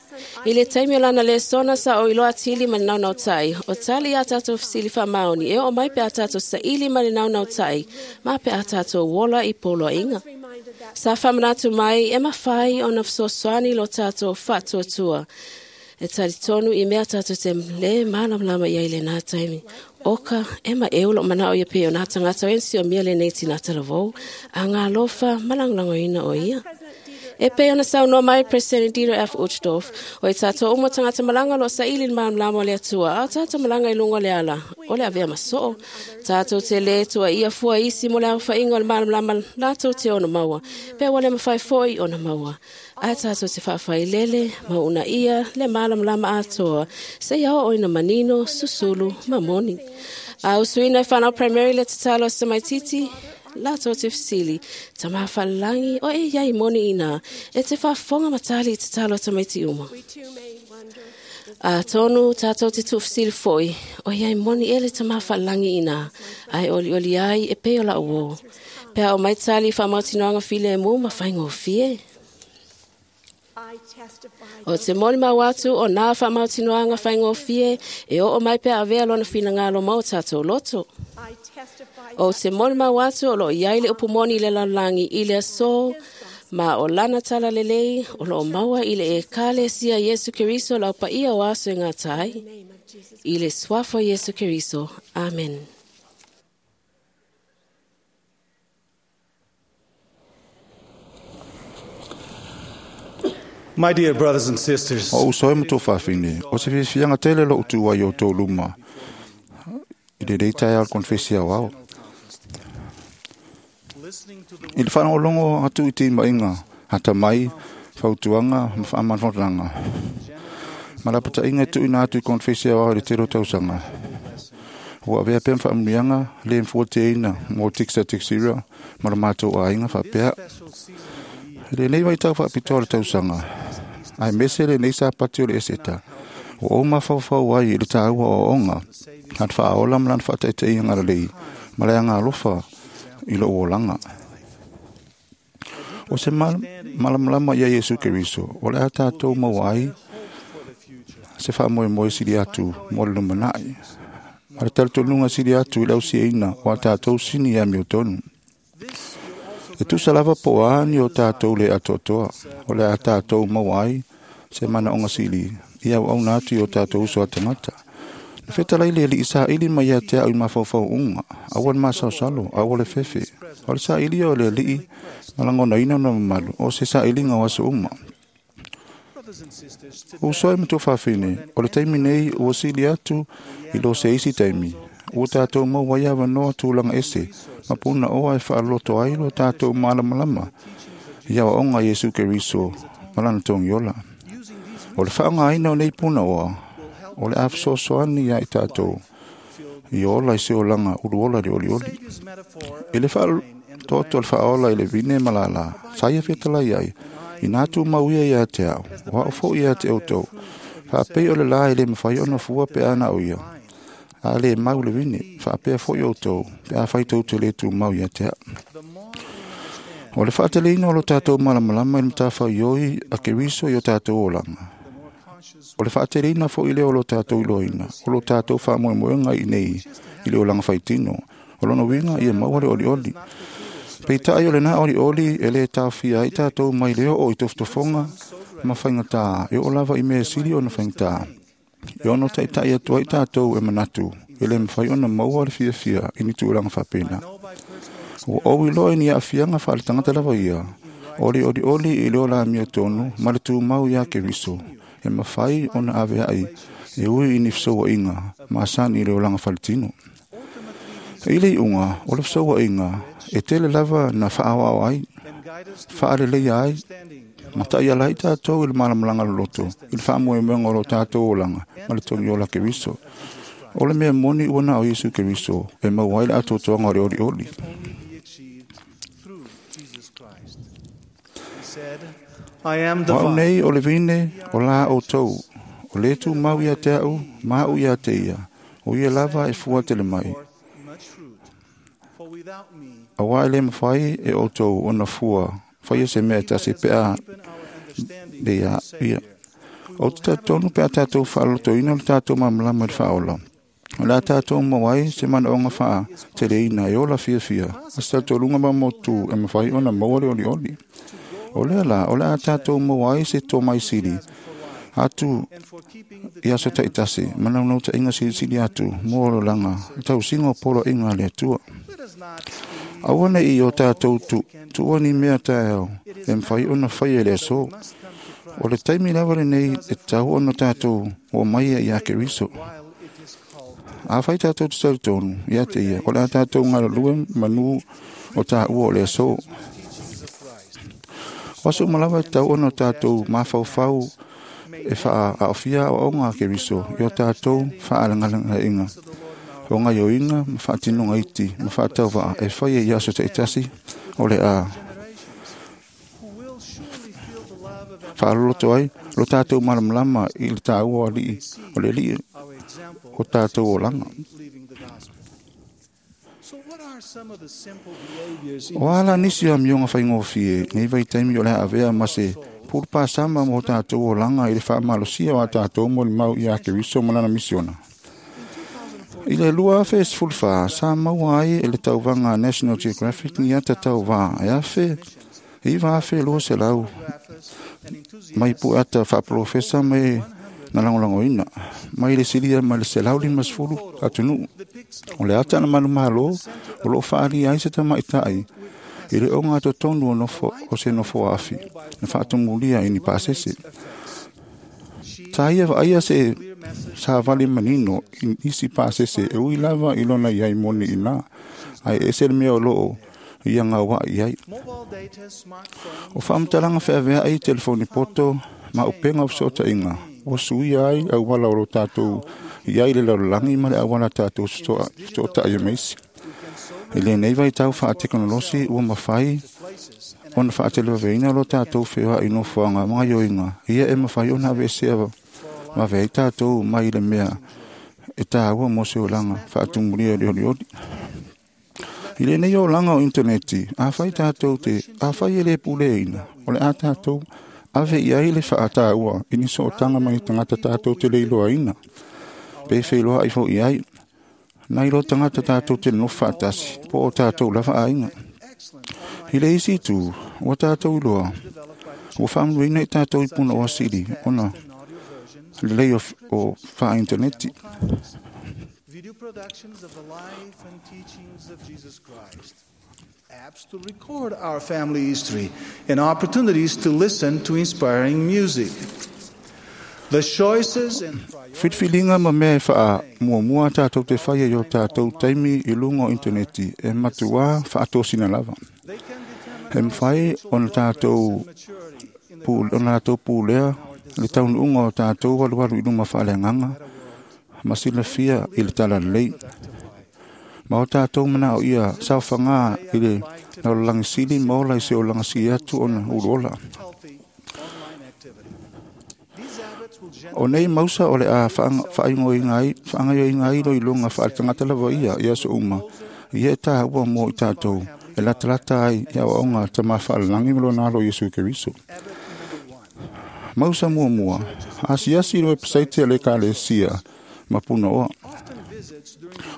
I le taimi o lana le sona sa o iloa tili ma le naunau tai, o tali a tātou fisili whamaoni, e o mai pe a tātou sa ili ma le naunau tai, ma pe a tātou wola i polo inga. Sa whamanatu mai e mawhai o na whsosoani lo tātou whatuatua. E tari tonu i mea tātou te le malamalama ia i le nā taimi. Oka, e ma e ulo mana o ia pe o nā tangata ensi o mia le nei tina talavou, a ngā lofa malanglango ina o ia. E pe ona sau no mai President Dieter F. Uchtdorf, o i tātou umo tangata malanga lo sa ili malamalama o le atua, a o tātou malanga i lungo le ala, o le avea masoo. Tātou te le tua ia fua isi mo le au whainga o le malamalama lātou te ona maua, pe wale mawhai foi ona maua. A tātou te whaawhai lele, mauna ia, le malamalama atoa, se ia o ina manino, susulu, mamoni. A usuina e whanau primary le tatalo sa maititi, lātou te fisili, ta mawhalangi o e iai moni ina, e te whaafonga matali i te talo tamaiti uma. A tonu tātou te tūfisili foi, o iai moni ele ta mawhalangi ina, ai oli oli ai e peo la uo. Pea o maitali whamautinoanga file e mū mawhaingo fie. O te moli mau atu o nā whamautinoanga whaingo fie, e o o mai pea avea lona whina ngalo mau tātou loto. O te moli mau atu o lo iai le upumoni le lalangi i le aso, ma o lana tala lelei, o lo maua i le e kale sia Yesu Keriso lau pa ia o aso e ngā tai. I le swafo Yesu Keriso. Amen. My dear brothers and sisters, O uso e matou whawhine, o se whiwhianga tele lo utu ai o tō luma, i le reita e al konfesi au au. I le whanau atu i te mainga, hata mai, whautuanga, ma whaamanwhanranga. Malapata inga tu ina atu i konfesi au au i le tero tausanga. Ua avea pea mwhaamunianga, le mfua te ina, mō tiksa tiksira, mara mātou a inga whapea. Le nei vai tau whaapitoa le tausanga. Ai mese le nei sa pati o le eseta. O o mawhawhau ai i le tāua o onga. Han whaaola malan whaataita i ngara lei. Malea ngā lofa i lo olanga. O se malamalama ia Yesu Keriso. O le a tātou mau ai se whaamoe moe siri atu mo le lumanai. Ma le talatolunga siri atu i lausi eina o a tātou sini ia mio tonu. E tusa lava po ani o tātou le atoatoa, o le a tātou mau ai, se mana onga sili, i au au nātu i o tātou uso a tangata. Na whetalai le li isa ili mai a te au i mawhauwhau unga, awan masaosalo, awa le fefe. O le sa ili o le lii, malangona ina na mamalu, o se sa ili ngā waso uma. O soe matou whawhine, o le taimi nei ua sili atu i lo se isi taimi. Ua tātou mau waiawa noa tūlanga ese, ma puna oa e whaaloto ai lo tātou malamalama. Ia o onga Yesu Keriso, malana tongiola. O le whaanga aina o nei puna oa, o le awhasoasoani ia i tātou. I ola i se olanga ulu ola le oli oli. I le whaatoto le whaola i le vine malala, saia whitala iai, i nā tū mau ia ia te au, o hao fo ia te autou. Whaapei o le la i le mawhai ona fua pe ana o ia. A le mau le vine, whaapea fo i autou, pe a whai tau te le tū mau ia te au. O le whaateleina o lo tātou malamalama i le matawhau ioi a Keriso i o tātou olanga. O le whaateleina fo i le o lo tātou iloina, o lo tātou whaamoemoenga i nei, i le olanga whaitino, o lono winga i e maua le oli oli. Peitai o le nā oli oli e le tāwhia i tātou mai leo o i toftofonga ma whaingatā, e o lava i mea sili o na whaingatā. E ono taitai atu ai tātou e manatu, e le mwhai ona maua le fia fia i ni tūranga whapena. O au iloa ni a fianga whaale tangata lava ia, oli oli oli i leo la mia tonu, ma le tū mau ia Keriso, e mawhai ona ave ai, e ui i ni whsoa inga, ma asani i leo langa whaletino. I le unga, o le whsoa inga, e tele lava na whaawao ai, whaale leia ai, ma tai ala i tātou i le malamalanga loloto, i le whaamoemoenga o lo tātou olanga, ma le tongi ola Keriso. O le mea moni ua na o Iesu Keriso e maua ai le atoatoaga o le olioli. O au nei o le vine o la outou, o le tumau ia te au, ma au ia te ia, o ia lava e fua tele mai. Auā e le mafai e outou ona fua faia se mea e tasi pe a le ia ia. O te talitonu pe a tātou fa'alotoina le tātou malamalama i le fa'aola. O le a tātou maua ai se manaoga fa'ateleina e ola fiafia, a se talitonuga maumautu e mafai ona maua le olioli. O lea la, o le a tātou maua ai se tomai sili atu i aso ta'itasi, ma naunautaiga silisili atu mo olaga le tausiga o poloaiga a le Atua. Aua ne i o tātou tuua ni mea taeao e mafai ona faia i le aso. O le taimi lava lenei e tatau ona tātou oo mai ai ia Keriso. Afai tātou te talitonu ia te ia, o le a tātou galulue manu o tāua o le aso. O aso uma lava e tatau ona tātou mafaufau e fa'aaofia aoaoga a Keriso i o tātou fa'alegalegaiga, o gaioiga ma fa'atinoga iti ma fa'atauva'a e faia i aso ta'itasi o le a fa'aloloto ai lo tātou malamalama i le tāua o alii o le alii o tātou olaga. O a la nisi o amioga faigofie nei vaitaimi o le a avea ma se pulupāsama mo tātou olaga i le fa'amalosia o a tātou molimau iā Keriso ma lana misiona. I le 2014, sa maua ai e le tauvaga a National Geographic ni ata tauvā e afe 9,200 mai pu'e ata fa'apolofesa mai na lagolagoina mai le silia mai le 150 atunuu. O le ata na manumālō o lo'o fa'aalia ai se tamaʻitaʻi i le ogatotonu o nofo o se nofo aafi na fa'atumulia i ni pasese. Sa ia va'aia se savali manino i nisi pasese e ui lava i lona iai moni inā, ae ese le mea o lo'o ia gaua'i ai. O fa'amatalaga fe'avea'i telefoni poto ma upega o feso'otaiga ua suia ai auala o lo tātou i ai le lalolagi ma le auala tātou feso'ota'i ma isi. I lenei vaitau fa'atekonolosi ua mafai ona fa'atelevaveina lo tātou feoa'i nofoaga ma gaioiga ia e mafai ona aveesea vave ai tātou mai le mea e tāua mo se olaga fa'atumulia i le olioli. I lenei olaga o initaneti, afai tātou te afai e lē puleina, o le a tātou ave i ai le fa'atāua i ni so'otaga ma ni tagata tātou te le iloaina, pe feiloa'i fo'i ai, nai lo tagata tātou te nonofo fa'atasi, po o tātou lava aiga. I le isi itu, ua tātou iloa, ua fa'amanuiaina i tātou i punaoa sili ona lelei o fa'ainitaneti. Video productions of the life and teachings of Jesus Christ, apps to record our family history, and opportunities to listen to inspiring music. The choices and Filifiliga ma mea e fa'amuamua tātou te faia i o tātou taimi i luga o initaneti e matuā fa'atosina lava. E mafai ona tātou ona latou pulea le taunu'uga o tātou alualu i luma fa'aleagaga ma silafia i le talalelei. Ma o tātou mana'o ia saofagā i le lalolagi sili ma ola i se olaga sili atu ona uluola. O nei mausa o le a fa'aingoina ai fa'agaioina ai iloiloga fa'aletagata lava ia i aso uma, ia e tāua mo i tātou e latalata ai i aoaoga a Tamā Fa'alalagi ma lona alo Iesu Keriso. Mausa muamua, asiasi i le wepesaite a le Ekalesia ma Punaoa.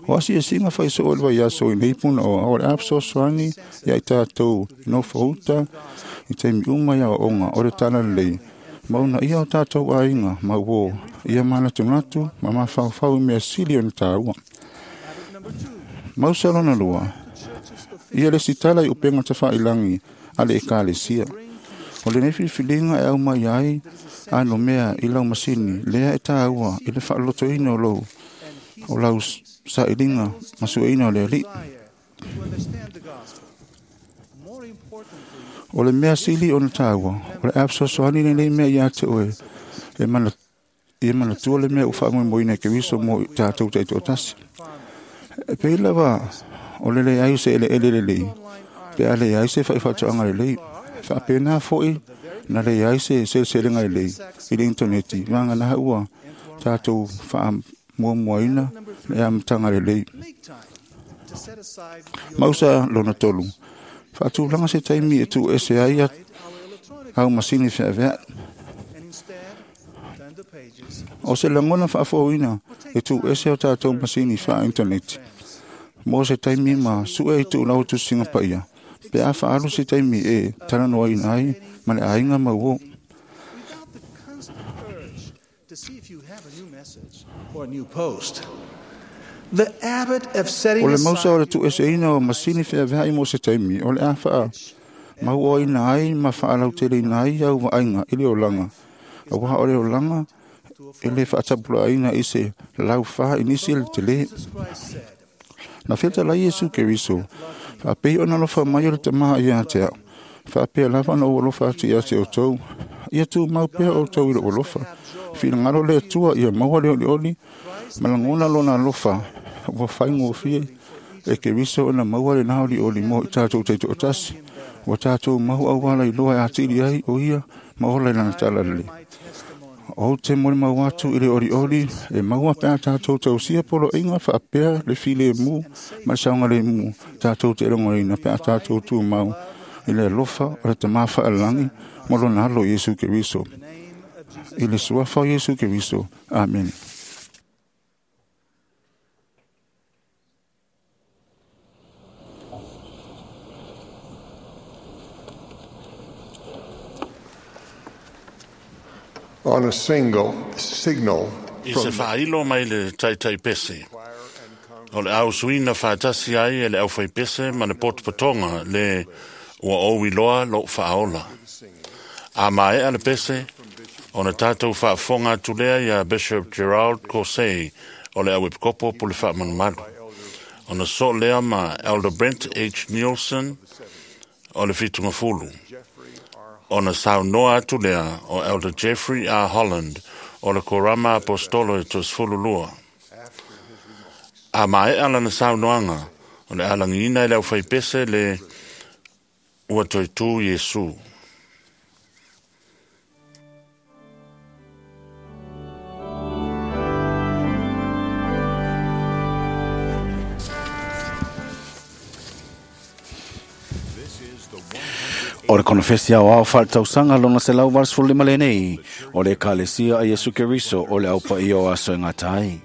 O asiasiga faiso'o i le vaiaso i nei Punaoa o le a fesoasoani ia i tātou nofouta i taimi uma i aoaoga o le talalelei ma ona ia o tātou aiga ma uō ia manatunatu ma mafaufau i mea sili ona tāua. Mausa lona lua, ia le sitala i upega tafa'ilagi a le Ekalesia. O lenei filifiliga e aumai ai ano mea i lau masini lea e tāua i le fa'alotoina o lou o lau sa'iliga ma sueina o le Alii. O le mea sili ona tāua, o le a fesoasoani lenei mea iā te oe e Ia manatua le mea ua faamoemoeina e Keriso mo i tatou taitoatasi. E pei lava o le leai o se eleele lelei, pe a leai se faifaatoaga lelei. Faapena fo'i na leai se seleselega lelei i le initaneti, vagana ua tatou faamuamuaina le amataga lelei. Mausa lona tolu, faatulaga se taimi e tuuese ai au masini feaveai. O se lagona faafouina e tuuese o tatou masini faa-initaneti mo se taimi ma sue i tuulau tusiga paia, pe a faaalu se taimi e talanoaina ai ma le aiga ma uo. O le mausa o le tuueseina o masini feaveai mo se taimi, o le a faamauoaina ai ma faalauteleina ai au vaaiga i le olaga, auā o le olaga e le faatapulaaina i se laufā i nisi le telē. Na fetalai Iesu Keriso, faapei ona alofa mai o le Tamā ia te au, faapea lava ona ou alofa atu ia te outou. Ia tumau pea outou i lou alofa. Finagalo le Atua ia maua le olioli ma lagona lona alofa ua faigofie e Keriso ona maua lena olioli mo i tatou taitoatasi. Ua tatou mau auala iloa e atili ai o ia ma ola i lana talalelei. Ou te molimau atu i le olioli e maua pe a tatou tausia poloaiga faapea le filemu ma le saogalemu tatou te logoina pe a tatou tumau i le alofa o le Tamā Faalelagi ma lona alo Iesu Keriso. I le suafa o Iesu Keriso. Amene. On a single signal I se faailo mai le taitai pese. O le ausuina faatasi ai e le aufaipese ma le potopotoga le ua ou iloa lou faaola. A maea le pese, ona tatou faafofoga atu lea ia Bishop Gerald Caussé o le auepikopo po le faamalumalu. Ona soo lea ma Elder Brent H. Nielsen o le fitugafulu. Ona saunoa atu lea o Elder Jeffrey R. Holland o le Korama Apostolo e toasefululua. A maea lana saunoaga, o le alagiina e le aufaipese le ua toe tu Iesu. O le konofesi aoao faaletausaga lona 185 lenei, o le Ekalesia a Iesu Keriso o le Au Paia o Aso e Gata ai.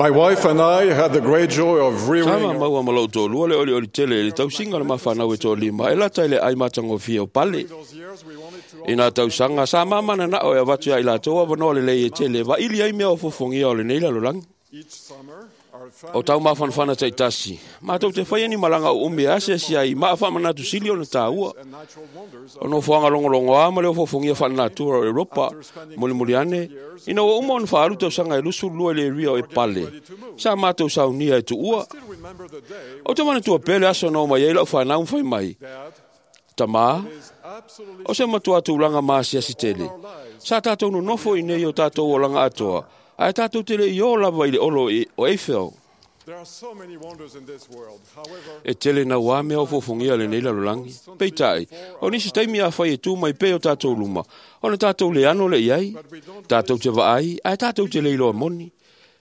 My wife and I had the great joy of Sa rearing ma maua ma lou toalua le olioli tele i le tausiga o le mafanau e toalima e lata i le ai matagofie o pale. I nā tausaga sa mamananao e avatu ia i latou avanoa lelei e tele vaili ai mea o fofogia o lenei lalolagi. O tau mafanafana taitasi, matou te faia ni malaga uumi e asiasi ai maa faamanatu sili ona tāua. O nofoaga logologoa ma le ofofogia faalenatura o Europa, mulimuli ane, ina ua uma ona faaalu tausaga e 22 i le area o Epale, sa matou saunia e tuua. Ou te manatua pea le aso na omai ai lau fanau ma fai mai, Tamā, o se matua tulaga maasiasi tele. Sa tātou nonofo i nei o tātou olaga atoa, ae tātou te le i ō lava i le olo o Eiffel. E tele na wā mea o fofongia le nei lalolagi. Peitai, o nisi taimi a whai e tū mai pe o tātou luma, ona tātou le ano le iai, tātou te vaai, ae tātou te le iloa moni,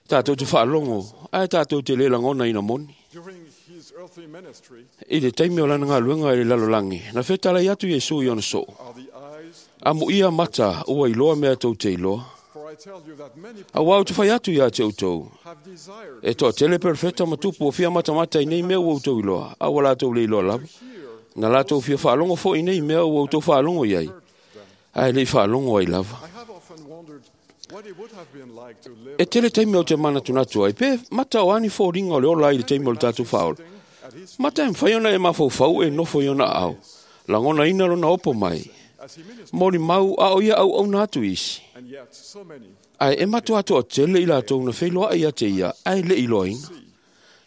tātou te whaalongo, ae tātou te le langona ina moni. during his earthly ministry I le taimi o lana ngā luenga i le lalolagi, na whetalai atu Iesu i ona soo. are the eyes, A mo ia mata, ua iloa mea tou te iloa. for I tell you that many A wau te whai atu ia te outou. have desired E toa tele perfeta matupu o fia matamata i nei mea ua outou iloa, a ua latou le iloa lava. Na latou fia whaalongo fo i nei mea ua outou whaalongo iai. Ae lei whaalongo ai lava. I have often wondered what it would have been like to live E tele taimi o te manatunatu ai, pe mata o ani fōringa o le ola i le taimi o le tātou whaola. at his Mata e mwhai ona e mawhaufau e nofo i ona au. Langona ina lona opo mai. as he ministered, Mori mau a o ia au au nā atu isi. and yet so many Ai e matua atoa tele i latou na wheiloa ai a te ia, ai le iloa ina.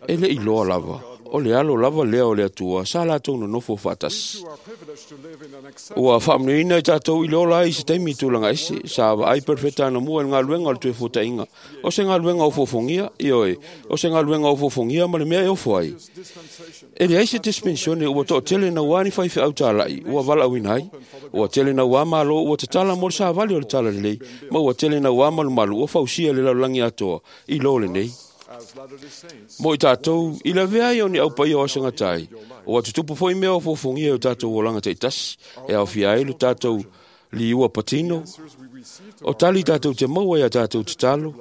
E le iloa lava, o le alo lava lea o le atua, sa latou na nofo whaatasi. who are privileged to live in an acceptable Ua whaamnuina i tātou i le ola ai se taimi tūlanga ese, sa wa ai perfeta ana mua i ngā luenga o le tuefuatainga. O se ngā luenga o fofongia, i oe, o se ngā luenga o fofongia ma le mea e ofo ai. dispensation E le ai se dispensione ua toa tele na wani whai whiau tālai, ua wala uina ai. Ua tele na wā malo, ua te tala mo le sāvali o le tala lelei, ma ua tele na wā malu malu, ua fausia le lalulangi atoa, i lo le nei. as Latter-day Saints Mo i tātou, i la vea i o ni au pai o asanga tai. O atutupu foi mea o fofongia o tātou o langa teitasi, e au fia ai lo tātou li ua patino, answers we receive to o tali tātou te maua i a tātou te talo.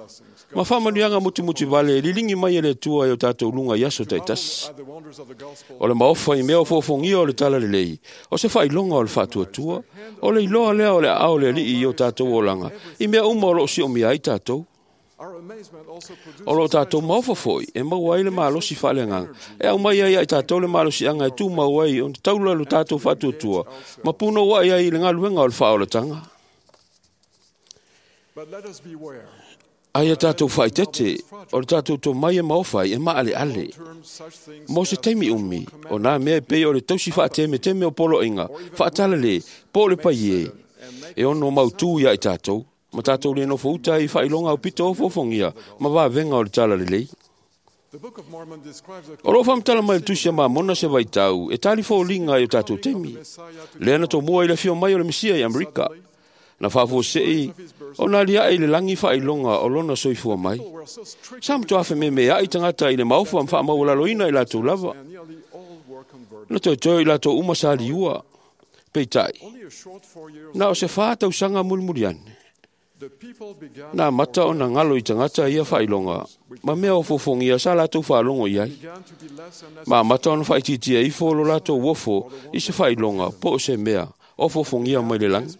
Ma whaamanuianga mutu mutu vale, e lilingi mai e le tua i o tātou lunga i aso teitasi. at the wonders of the gospel O le maofa i mea o fofongia o le tala lelei, o se whailonga o le whaatuatua, o le iloa lea o le ao le alii i o tātou olanga, i mea uma o loo si o mea ai tātou. our amazement also produces O lo tātou maofa foi, e maua ai le malosi whaaleanganga. E au mai ai ai tātou le malosi anga e tū mau ai, o te taula lo tātou whaatuatua. Ma puno wai ai le ngaluenga o le whaolatanga. but let us beware Ai a tātou whaitete, o le tātou tō mai e maofa ai, e maale ale. term such things Mo se taimi umi, o nā mea e pei o le tausi whaateme teme o polo inga, whaatala le, po le pai e, e ono mau tū ia i tātou, ma tātou le nofo uta i whailonga o pito o fofongia, ma wāwenga o le tala lelei. the Book of Mormon describes a O lo whamtala mai le tusi a mamona se vaitau, e tali fōlinga i o tātou teimi. Lea na tō mua i le fio mai o le Mesia i Amerika. Na whaafo sei, o nā lia i le langi whailonga o lona soifua mai. were so strict Sa mtua awhe me mea i tangata i le maofa ma whaamaualaloina i lātou lava. and nearly all were converted Na toe toe i lātou uma sa liua. Peitai, only a short 4 years na o se whātau sanga mulimuli ane. the people began Nā mata o nā ngalo i tangata ia whailonga, ma mea o fofongia sa lātou whaalongo i ai. began to be less and less Ma mata ona whaititia ifo lo lātou wofo i se whailonga po o se mea o fofongia mai le langi.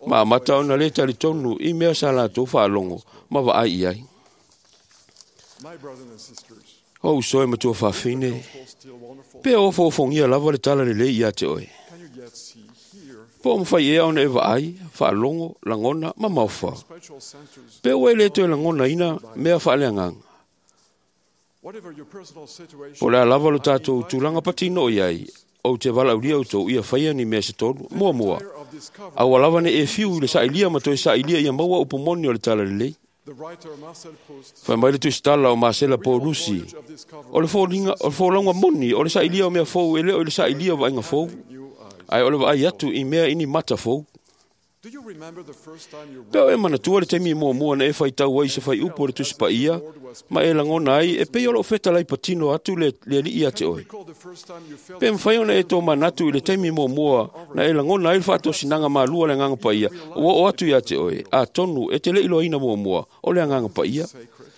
Ma mata ona le tali tonu i mea sa lātou whaalongo ma vaai i ai. my brothers and sisters O usoe matua whawhine, gospel still wonderful pe o fofongia lava le tala le lei ia te oe. can you yet see hear Po o mwhai ea ona e vaai, whaalongo, langona, ma mauwha. spiritual senses Pe o e le toe langona ina mea whaaleanganga. whatever your personal situation Po lea lava lo tātou tūlanga patino i ai, o te walaulia o tō ia whaia ni mea se tolu, mua mua. of discovery Aua lava ne e fiu i le sailia ma toe sailia ia maua upu moni o le tala lelei. the writer Marcel Proust Whai mai le tusitala o Marcela Paulusi. voyage of discovery O le fōlinga, o le fōlaunga moni, o le sailia o mea fou, e leo i le sailia o vainga fou. new eyes Ai o le vaai atu i mea ini mata fou. do you remember the first time you Peo e manatua le taimi mua mua na e whai tau ai se whai upu o le tusipa ia, ma e langona ai, e pei o loo wheta lai patino atu le, le alii a te oe. recall the first time you felt Pe mwhai ona e tō manatu i le taimi mua mua, na e langona ai le whaatosinanga mālua le nganga pa ia, ua o atu ia te oe, a tonu e te le iloaina mua mua, o le nganga pa ia. sacred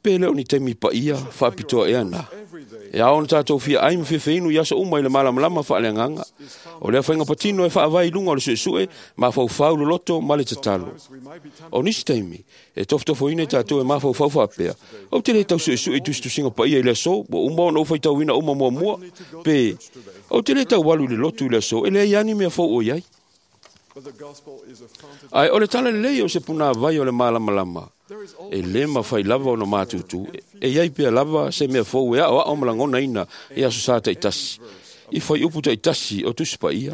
Pe le o ni taimi paia faapitoa ea na. E ao ona tātou fia ai ma fefeinu i aso uma i le malamalama faaleagaga. O lea faiga patino e faavae i luga o le suesue, mafaufau loloto ma le tatalo. O nisi taimi, e tofotofoina i tātou e mafaufau faapea. Ou te le tau suesue i tusitusiga paia i le aso, ua uma ona ou faitauina uma muamua. Pe, ou te le tau alu i le lotu i le aso, e leai lava ni mea fou o i ai. Ae o le tala lelei o se punāvai o le malamalama, e lē mafai lava ona matutu, e iai pea lava se mea fou e aoao ma lagonaina i aso sa taitasi, i fuaiupu taitasi o Tusi Paia.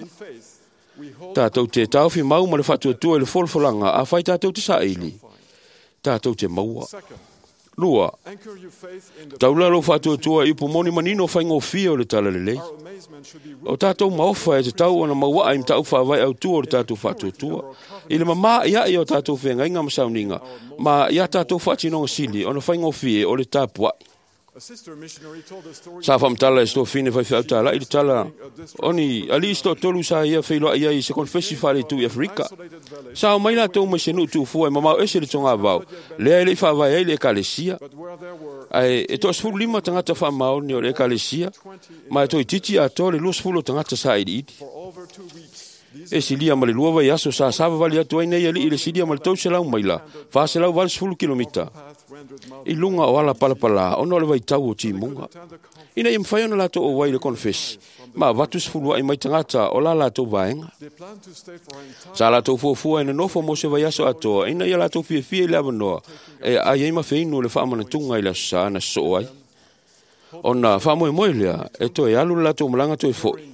Tātou te taofi mau ma le faatuatua i le folafolaga afai tātou te saili, tātou te maua. 2. Taula lou faatuatua i upu moni manino faigofie o le tala lelei. O tātou maofa e tatau ona mauaa i mataupu faavae autu o le tātou faatuatua. I le mamā ia'i o tātou feagaiga ma sauniga, ma ia tātou faatinoga sili ona faigofie o le tapua'i. Sa faamatala e se tofine faifeau tāla'i le tala o ni alii se toatolu sa ia feiloai ai i se konefesi faaleitū i Aferika. Sa omai latou mai se nuu tuufua e mamao ese le togavao, lea e le'i faavae ai le ekalesia. Ae e 15 tagata faamaoni o le ekalesia, ma e toeitiiti atoa le 20 o tagata sailiili. E silia ma le 2 vaiaso sa savavali atu ai nei alii i le silia ma le 300 maila, 480 kilomita, i luga o ala palapalā ona o le vaitau o timuga. Ina ia mafai ona latou auai i le konefesi, ma avatu sefulua'i mai tagata o la latou vaega. Sa latou fuafua e nonofo mo se vaiaso atoa, ina ia latou fiafia i le avanoa e aai ai ma feinu le faamanatuga i le aso sa na sosoo ai. Ona faamoemoe lea e toe alu le latou malaga toe fo'i,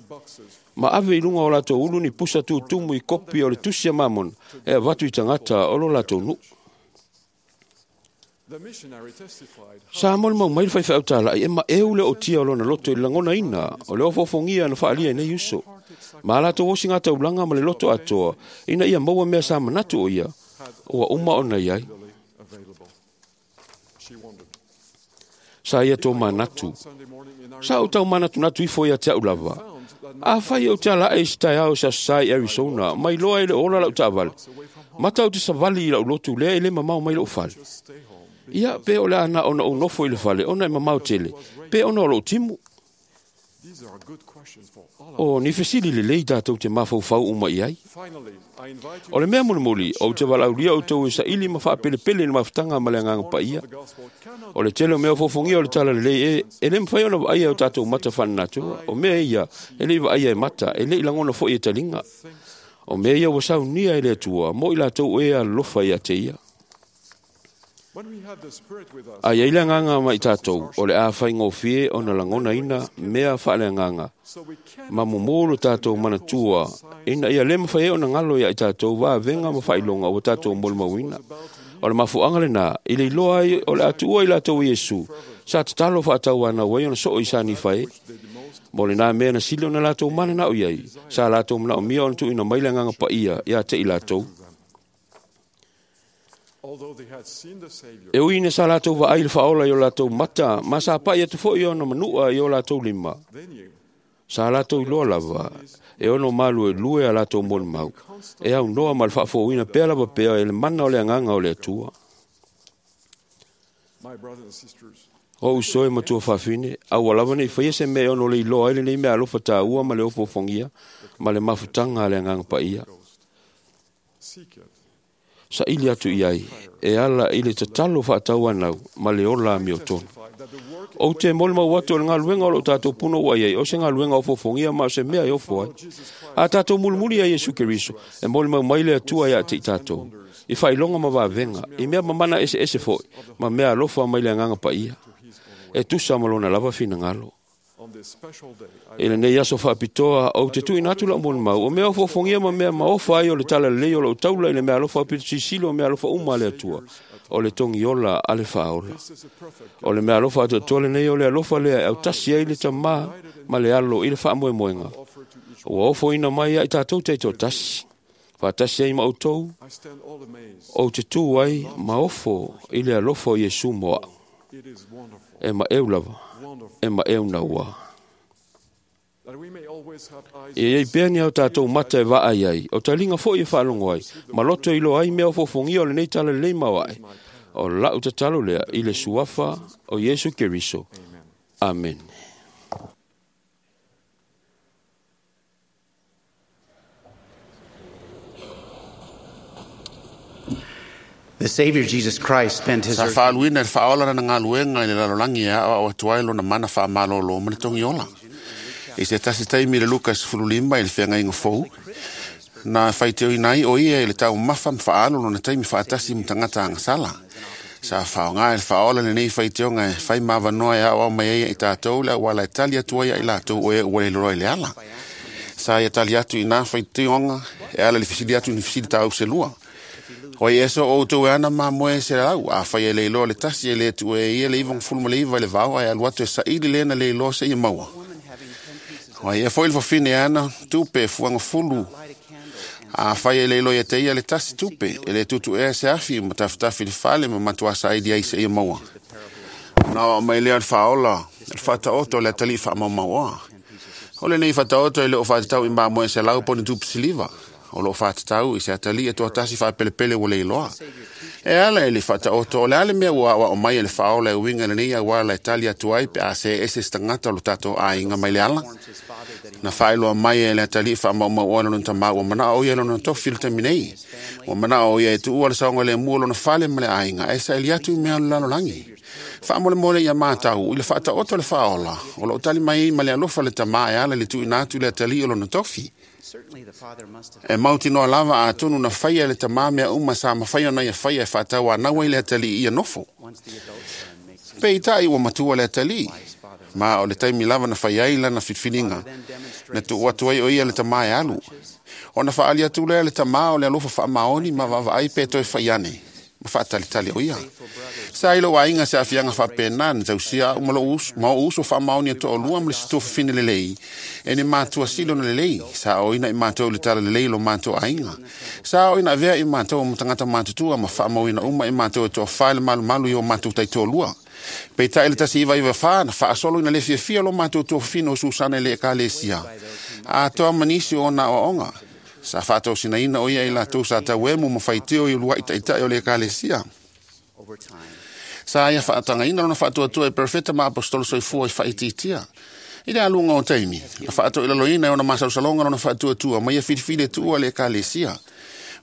ma ave i luga o latou ulu ni pusa tutumu i kopi o le tusi a Mamona e avatu i tagata o lo latou nuu. Sa molimau mai le faifeau tāla'i e maeu le ootia o lona loto i le lagonaina o le ofoofogia na faaalia i nei uso. Ma a latou osiga taulaga ma le loto atoa ina ia maua mea sa manatu o ia, ua uma ona i ai. Sa ia tō manatu. Sa ou tau manatunatu ifo ia te au lava. Afai ou te alae i se taeao i se aso Sa i Arizona, mai loa e le ola lau taavale. Mata ou te savali i lau lotu lea e le mamao mai lou fale. Ia, pe o le a na ona ou nofo i le fale, ona e mamao tele, pe ona o lou timu. O ni fesili lelei tātou te mafaufau uma i ai. O le mea mulimuli, ou te valaaulia outou e saili ma faapelepele i le mafutaga ma le agaga paia. O le tele o mea ofofogia o le tala lelei e le mafai ona vaaia e o tātou mata faalenatura. O mea ia, e le'i vaaia e mata, e le'i lagona foi e taliga. O mea ia ua saunia e le Atua, mo i latou e alolofa ia te ia. A iai le agaga ma i tātou, o le a faigofie ona lagonaina mea faaleagaga, ma mumu lo tātou manatua, ina ia le mafai ai ona galo ia i tātou vavega ma faailoga ua tātou molimauina. O le mafuaaga lenā, i le iloa ai o le a tuua i latou e Iesu, sa tatalo faatauanau ai ona soo i sanifa e. Mo lenā mea na sili ona latou mananao i ai, sa latou manaomia ona tuuina mai le agaga paia ia te i latou. E ui ina sa latou vaai i le faaola i o latou mata, ma sa pa'i atu foi ona manua i o latou lima. Sa latou iloa lava, e ono maluelue a latou molimau, e aunoa ma le faafouina pea lava pea e le mana o le agaga o le Atua. O uso e matua faafine, aua lava nei faia se mea e ono le iloa ai lenei mea alofa tāua ma le ofoofogia ma le mafutaga a le agaga paia. Saili atu i ai, e ala i le tatalo faatauanau ma le ola amiotonu. Ou te molimau atu o le galuega o loo tātou puna ua i ai, o se galuega ofoofogia ma o se mea e ofo ai. A tātou mulimuli ai Iesu Keriso, e molimau mai le Atua ia te i tātou, i faailoga ma vavega, i mea mamana eseese foi, ma mea alofa mai le agaga paia. E tusa ma lona lava finagalo. I lenei aso faapitoa, ou te tuuina atu lau molimau, o mea ofoofogia ma mea maofa ai o le tala lelei o lou taula i le mea alofa aupito sisili o mea alofa uma a le Atua, o le togiola a le faaola. O le mea alofa atoatoa lenei o le alofa lea e autasi ai le tamā ma le alo i le faamoemoega. Ua ofoina mai ia i tātou taitoatasi. Faatasi ai ma outou, ou te tū ai ma ofo i le alofa o Iesu mo au. E maeu lava, e maeu naua. E iai pea ni au tātou mata e vaai ai, o taliga foi e faalogo ai, ma loto iloa ai mea ofoofogia o lenei tala lelei maoae. O lau tatalo lea i le suafa o Iesu Keriso. Amen. The Savior Jesus Christ spent his Sa faaluina i le faaola lana galuega i le lalolagi e aoao atu ai lona mana faamalōlō ma le togiola. I se tasi taimi i le Luka 15 i le feagaiga fou, na faitioina ai o ia i le taumafa ma faaalu lona taimi faatasi ma tagata agasala. Sa faaaoga e le faaola lenei faitioga e fai ma avanoa e aoao mai ai i tatou le auala e tali atu ai ia i latou o e ua le iloa i le ala. Sa ia tali atu i nā faitioga e ala i le fesili atu i ni fesili tauselua. O i eso o outou e ana mamoe se lau, a fai e le iloa le tasi e le tu e ia le 99 i le vao ae alu atu e saili lena le iloa seia maua. O ia foi le fafine e ana tupe fuaga fulu, a fai e le iloa ia te ia le tasi tupe, e le tutu ea se afi ma tafitafi le fale ma matua saili ai seia maua. Na o mai lea le faaola, le faataoto le atalii faamaumauoa. O lenei faataoto e le o faatatau i mamoe se lau po o ni tupe siliva. O loo faatatau i se atalii e toatasi faapelepele ua le iloa. E ala i le faataoto o le a le mea ua aoao mai e le faaola e uiga i lenei auala e tali atu ai pe a se ese se tagata o lo tatou aiga mai le ala. Na faailoa mai e le atalii faamaumauoa lona tamā ua manao o ia lona tofi i le taimi nei. Ua manao o ia e tuua le saogalemu o lona fale ma le aiga ae saili atu i mea o le lalolagi. Faamolemole ia matau i le faataoto le faaola o loo tali mai ai ma le alofa le tamā e ala i le tuuina atu i le atalii o lona tofi. E mautinoa lava atonu na faia e le tamā mea uma sa mafai ona ia faia e faatauanau ai le atalii ia nofo. Peitai ua matua le atalii, ma o le taimi lava na fai ai lana filifiliga, na tuu atu ai o ia le tamā e alu. Ona faaali atu lea le tamā o le alofa faamaoni ma vaavaai pe toe fai ane, ma faatalitali o ia. Sa i lou aiga se aafiaga faapena na tausia au ma lou uso, ma ou uso faamaoni e toalua ma le isi tuafafine lelei, e ni matua sili ona lelei, sa aoina i matou i le tala lelei lo matou aiga. Sa aoina avea i matou ma tagata matutua ma faamauina uma i matou e toafa i le malumalu i o matou taitoalua. Peitai le 1994 na faasolo ina le fiafia lo matou tuafafine o Susana i le ekalesia. Atoa ma nisi o ona aoaoga. Sa faatosinaina o ia i latou sa tauemu ma faitio i uluai taitai o le ekalesia. Sa ia faatagaina lona faatuatua e perofeta ma aposetolo soifua i faaitiitia. I le aluga o taimi, na faatoilaloina e ona masalosaloga lona faatuatua ma ia filifili e tuua le ekalesia.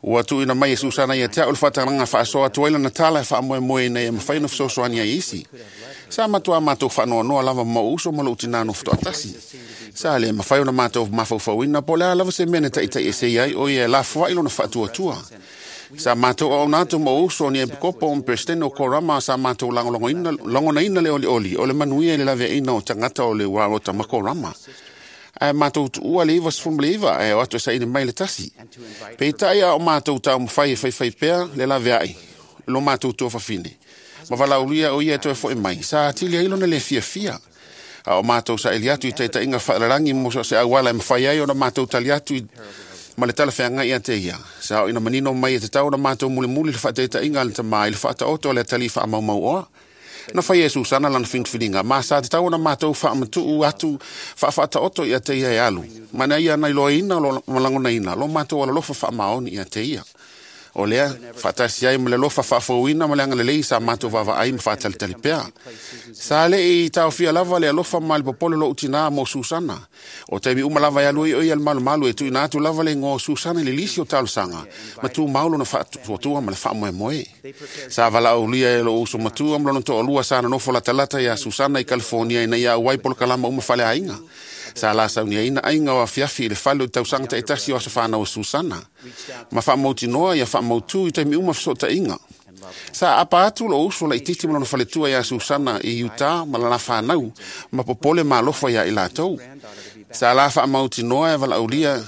Ua tuuina mai e Susana ia te au le faatagaga faasoa atu ai lana tala e faamoemoe ina ia mafai ona fesoasoani ai isi. Sa matua matou faanoanoa lava ma ou uso ma lou tinā nofo toatasi. Sa le mafai ona matou mafaufauina po o le a lava se mea na taitaiese ai o ia e lafoai lona faatuatua. Sa matou auauna atu ma ou uso o ni epikopo ma peresetene o Korama sa matou lagonaina le olioli o le manuia i le laveaiina o tagata o le uaota ma Korama. Ae matou tuua le 99 ae o atu e saili mai le tasi. Peitai a o matou taumafai e faifai pea le laveai lo matou tuafafine. Ma valaaulia o ia e toe foi mai, sa atili ai lona le fiafia. A o matou saili atu i taitaiga faalalagi mo so o se auala e mafai ai ona matou tali atu i ma le talafeagai ia te ia. Sa o ina manino mai e tatau ona matou mulimuli le faataitaiga a le tamā i le faataoto o le atalii faamaumauoa. Na fai e Susana lana filifiliga, ma sa tatau ona matou faamatuu atu faafaataoto ia te ia e alu. Ma na ia na iloaina ma lagonaina lo matou alolofa faamaoni ia te ia. O lea, faatasi ai ma le alofa faafouina ma le agalelei sa matou vaavaai ma faatalitali pea. Sa le i taofia lava le alofa ma le popole lou tinā mo Susana. O taimi uma lava e alu ai o ia le malumalu e tuuina atu lava le igoa o Susana i le lisi o talosaga, ma tumau lona faatuatua ma le faamoemoe. Sa valaaulia e lou uso matua ma lona toalua sa nonofo latalata ia Susana i California ina ia auai polokalama uma faleaiga. Sa la sauniaina aiga o afiafi i le fale o tausaga taitasi o aso fanau o Susana. Ma faamautinoa ia faamautu i taimi uma fesootaiga. Sa apa atu lou uso laitiiti ma lona faletua ia Susana i Utah ma lana fanau ma popole ma alofa ia i latou. Sa la faamautinoa e valaaulia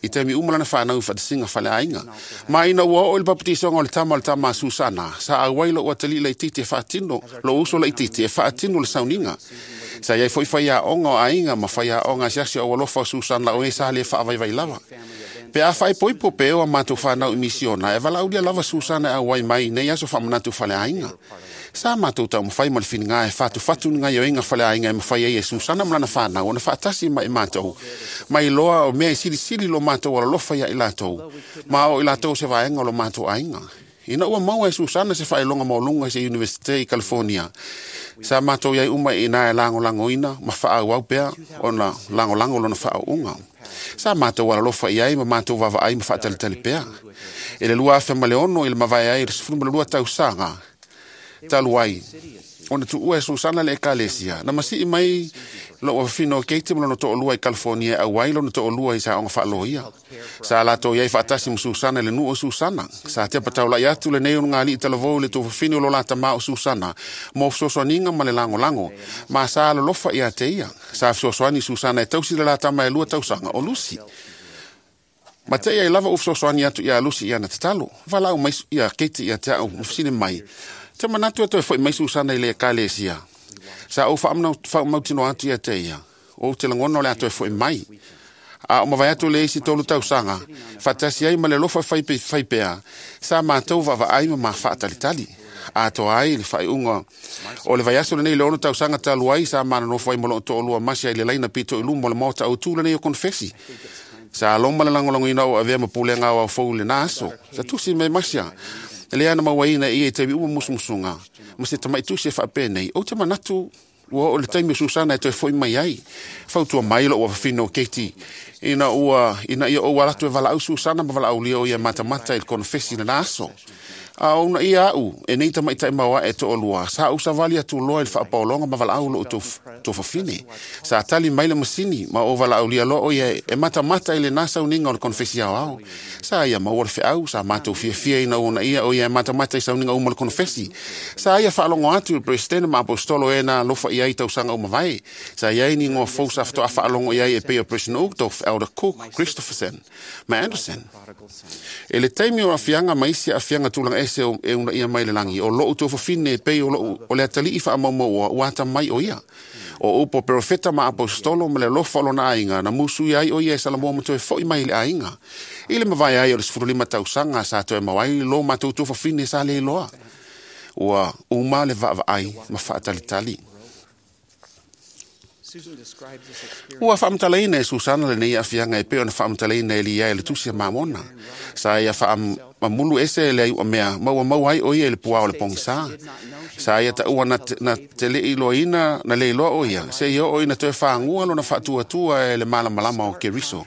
i taimi uma lana fanau i faatasiga faleaiga. Ma ina ua oo i le papatisoga o le tama o le tama a Susana, sa auai lou atalii laitiiti e faatino, lou uso laitiiti e faatino le sauniga. Sa iai foi faiaoga o aiga ma faiaoga asiasi o alofa o Susana o e sa le faavaivai lava. Pe a faaipoipo pe o a matou fanau i misiona, e valaaulia lava Susana e auai mai nei aso faamanatu faleaiga. Sa matou taumafai ma le filiga e fatufatu ni gaioiga faleaiga e mafai ai e Susana ma lana fanau ona faatasi ma i matou. Mai loa o mea e silisili lo matou alolofa ia i latou, ma o i latou se vaega o lo matou aiga. Ina ua maua e Susana se faailoga maualuga i se Iunivesite i California. Sa matou iai uma i ina e lagolagoina ma faaauau pea ona lagolago lona faauuga. Sa matou alalofa i ai ma matou vaavaai ma faatalitali pea. I le 2006 i le mavae ai i le 12 tausaga talu ai, ona tuua e Susana le ekalesia, na masii mai lou afafine o Kate ma lona toalua i California e auai lona toalua i saoga faaloia. Sa latou iai faatasi ma Susana i le nuu o Susana. Sa tepa taulai atu lenei onogalii talavou i le tuafafine o lo la tamā o Susana mo fesoasoaniga ma le lagolago, ma sa alolofa ia te ia. Sa fesoasoani Susana e tausi le la tama e 2 tausaga o Lucy. Ma te ai lava u fesoasoani atu ia Lucy i ana tatalo. Valaau mai ia Kate ia te au ma fesili mai, te manatu e toe foi mai Susana i le ekalesia. Sa ou faamautinoa atu ia te ia, ou te lagona o le a toe foi mai. A o mavae atu le isi 3 tausaga, faatasi ai ma le alofa fai pea, sa matou vaavaai ma ma faatalitali. Atoa ai le faaiuga o le vaiaso lenei le 6 tausaga talu ai, sa manonofo ai ma loo toalua masi ai le laina pito i luma o le maota autu lenei o konofesi. Sa loma le lagolagoina o avea ma pulega aoao fou i lena aso. Sa tusi mai masia, lea na mauaina e ia i taimi uma musumusuga, ma se tamaitusi e faapenei, ou te manatu ua oo le taimi o Susana e toe foi mai ai. Fautua mai lou afafine o Kate, ina ia ou ala atu e valaau Susana ma valaaulia o ia matamata i le konofesi i lena aso. A o una ia au, e nei tamaitai mauae e toalua, sa ou savali atu loa i le faapaologa ma valaau lou tuafafine. Sa tali mai le masini ma ou valaaulia loa o ia e matamata i lena sauniga o le konofesi aoao. Sa ia maua le feau, sa matou fiafia ina ua ia o ia e matamata i sauniga uma o le konofesi. Sa ia faalogo atu i le Peresetene ma Apostolo e na alofa i ai tausaga uma vae. Sa iai ni igoa fou sa faatoa faalogo i ai e pei o President Uchtdorf, Elder Cook, Christopherson ma Anderson. E le taimi o afiaga ma isi aafiaga tulaga ese e unaia mai le lagi, o lou tuafafine e pei o lou o le atalii faamaumauoa ua atamai o ia. O upu o perofeta ma apostolo ma le alofa o lona aiga, na musu ai o ia e Salamoa ma toe foi mai i le aiga. I le mavae ai o le 15 tausaga sa toe mau ai lo matou tuafafine sa le iloa. Ua uma le vaavaai ma faatalitali. Ua faamatalaina e Susana lenei aafiaga e pei ona faamatalaina e Lia e le tusi a Mamona. Sa ia faamamulu ese le aiuamea ma ua maua ai o ia i le puā o le pogisa. Sa ia taua na te le iloaina na le iloa o ia, se ia oo ina toe fagua lona faatuatua e le malamalama o Keriso.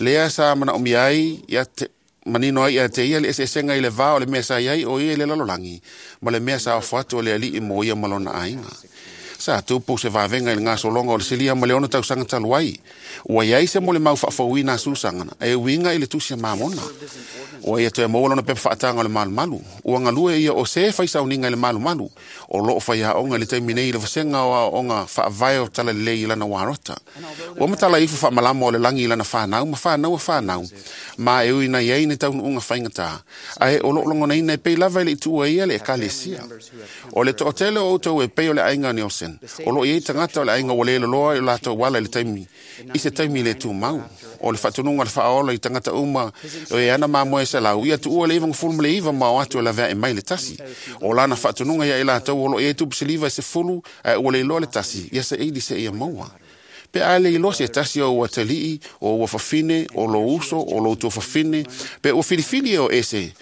Lea sa manaomia ai ia te manino ai ia te ia le eseesega i le va o le mea sa iai o ia i le lalolagi ma le mea sa ofo atu o le alii mo ia ma lona aiga. Sa tupu se vavega i le gasologa o le silia ma le 6 tausaga talu ai. Ua iai se molimau faafouina a Susana e uiga i le tusi a Mamona. Ua ia toe maua lona pepa faataga o le malumalu. Ua galue ia o se fai sauniga i le malumalu. O loo faiaoga i le taimi nei i le vasega o aoaoga faavae o talalelei i lana uarota. Ua matala ifo faamalama o le lagi i lana fanau ma fanau a fanau, ma e ui na iai ni taunuuga faigata, ae o loo logonaina e pei lava i le ituua ia le ekalesia. O le toatele o outou e pei o le aiga o Nielsen, o loo iai tagata o le aiga ua le loloa i o latou ala i le taimi, i se taimi le tumau. O le faatunuga o le faaola i tagata uma o e ana mamoe 100, ia tuua le 99 ma o atu e laveae mai le tasi. O lana faatunuga ia i latou o loo iai tupu siliva e 10, ae ua le iloa le tasi, ia saili se ia maua. Pe a le iloa se tasi o ua talii, o ua fafine, o lo uso, o lo tuafafine, pe ua filifili e o ese.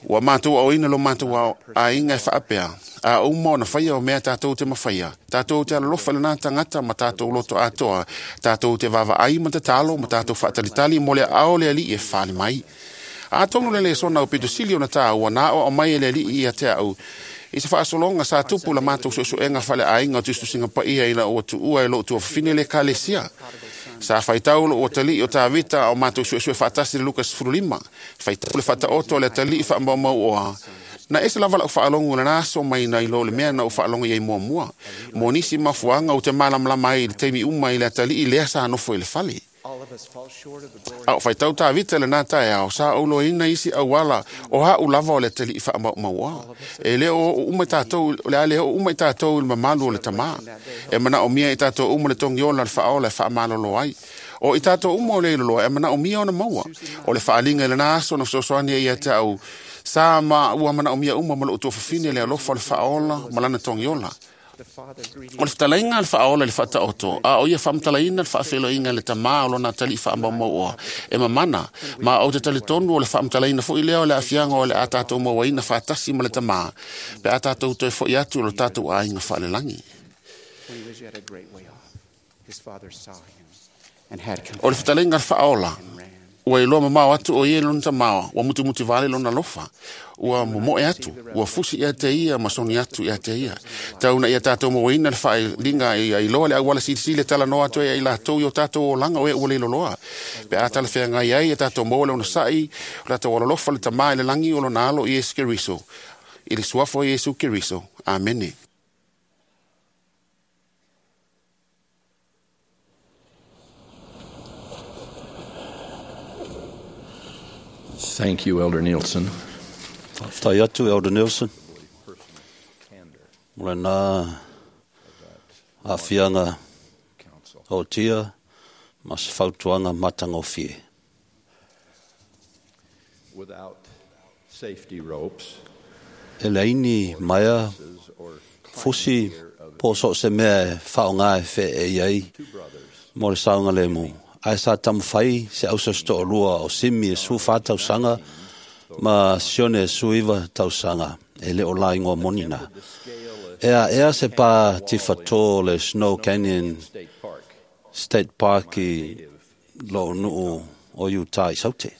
Ua matou aoina lo matou aiga e faapea, a uma ona faia o mea tatou te mafaia, tatou te alolofa i lena tagata ma tatou loto atoa, tatou te vaavaai ma tatalo ma tatou faatalitali mo le aao o le alii e fale mai. Atonu le lesona o pito sili ona tāua na aoao mai e le alii ia te au, i se faasologa sa tupu la matou suesuega faaleaiga o tusitusiga paia ina ua tuua e lou tuafafine le ekalesia. Sa faitau lou atalii o Tavita a o matou suesue faatasi le Luka 15. Faitau le faataoto o le atalii faamaumauoa. Na ese lava lau faalogo i lena aso mai nai lo le mea na ou faalogo i ai muamua. Mo nisi mafuaaga ou te malamalama ai i le taimi uma i le atalii lea sa nofo i le fale. A o faitau Tavita lena taeao, sa ou loaina isi auala o a'u lava o le atalii faamaumauoa. E le o oo uma i tatou, o le a le oo uma i tatou i le mamalu o le tamā. E manaomia i tatou uma le togiola le faaola e faamalolo ai. O i tatou uma o le iloloa e manaomia ona maua. O le faaaliga i lena aso na fesoasoani ai ia te au, sa ma ua manaomia uma ma lou tuafafine le alofa o le faaola ma lana togiola. O le fetalaiga a le faaola i le faataoto, a o ia faamatalaina le faafeiloaiga i le tamā o lona atalii faamaumauoa e mamana, ma ou te talitonu o le faamatalaina foi lea o le aafiaga o le a tatou mauaina faatasi ma le tamā, pe a tatou toe fo'i atu i lo tatou aiga faalelagi. O le fetalaiga a le faaola, ua iloa mamao atu o ia i lona tamā, ua mutimuti vale lona alofa, ua momoe atu, ua fusi ia te ia ma soni atu ia te ia. Tau na ia tātou mauaina le faaliga ia iloa le auala silisili e talanoa atu ai ia i latou i o tātou olaga o e ua leiloloa. Pe a talafeagai ai ia tātou maua le onosai, o tātou alolofa le tamā i le lagi o lona alo Iesu Keriso. I le suafa o Iesu Keriso. Amene. Thank you, Elder Nielsen. Faafetai atu Elder Nielsen. Mo lena aafiaga o'otia ma se fautuaga matagofie. Without safety ropes, E leai ni maea fusi po o so o se mea e faaaogā e feeei ai mo le saogalēmū, ae sa taumafai se ausausito'olua o Simi e 14 tausaga ma Sione e 19 tausaga e le o laigoa moni na. E aʻea se pā tifatō o le Snow Canyon State Park i lo'o nuu o Utah i Saute.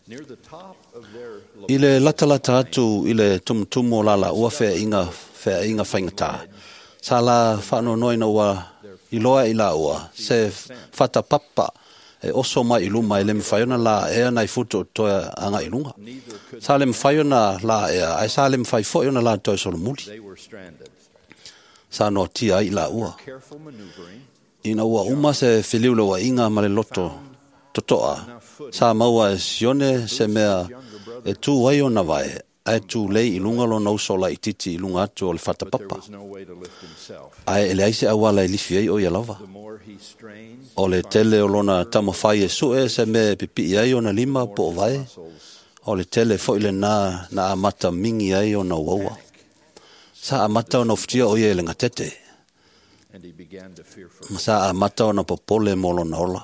near the top of their I le latalata atu i le tumutumu o lalaua feaʻiga feaʻiga faigata. Sa la faanoanoa ua iloa i laua se fatapapa e oso mai i luma e le mafai ona laʻea nai futu o toe agaʻi luga. Sa le mafai ona laʻea ae sa le mafai foʻi ona la toe solomuli. they were stranded. Sa noatia ai i laua. Careful maneuvering, Ina ua uma se feliuleuaʻiga ma le loto totoʻa, sa maua e Sione se mea e tū ai ona vae, ae tūlei i luga lona uso laʻititi i luga atu o le but there fatapapa. was no way to lift himself. Ae e leai se auala e lifi ai o ia lava. The more he strained, O le tele o lona taumafai e suʻe se mea e pipiʻi ai ona lima po o vae, o le tele foʻi lenā na amata migi ai ona uaua. Sa amata ona ufutia o ia i le gatete, and he began to fear for ma sa amata ona popole mo lona ola.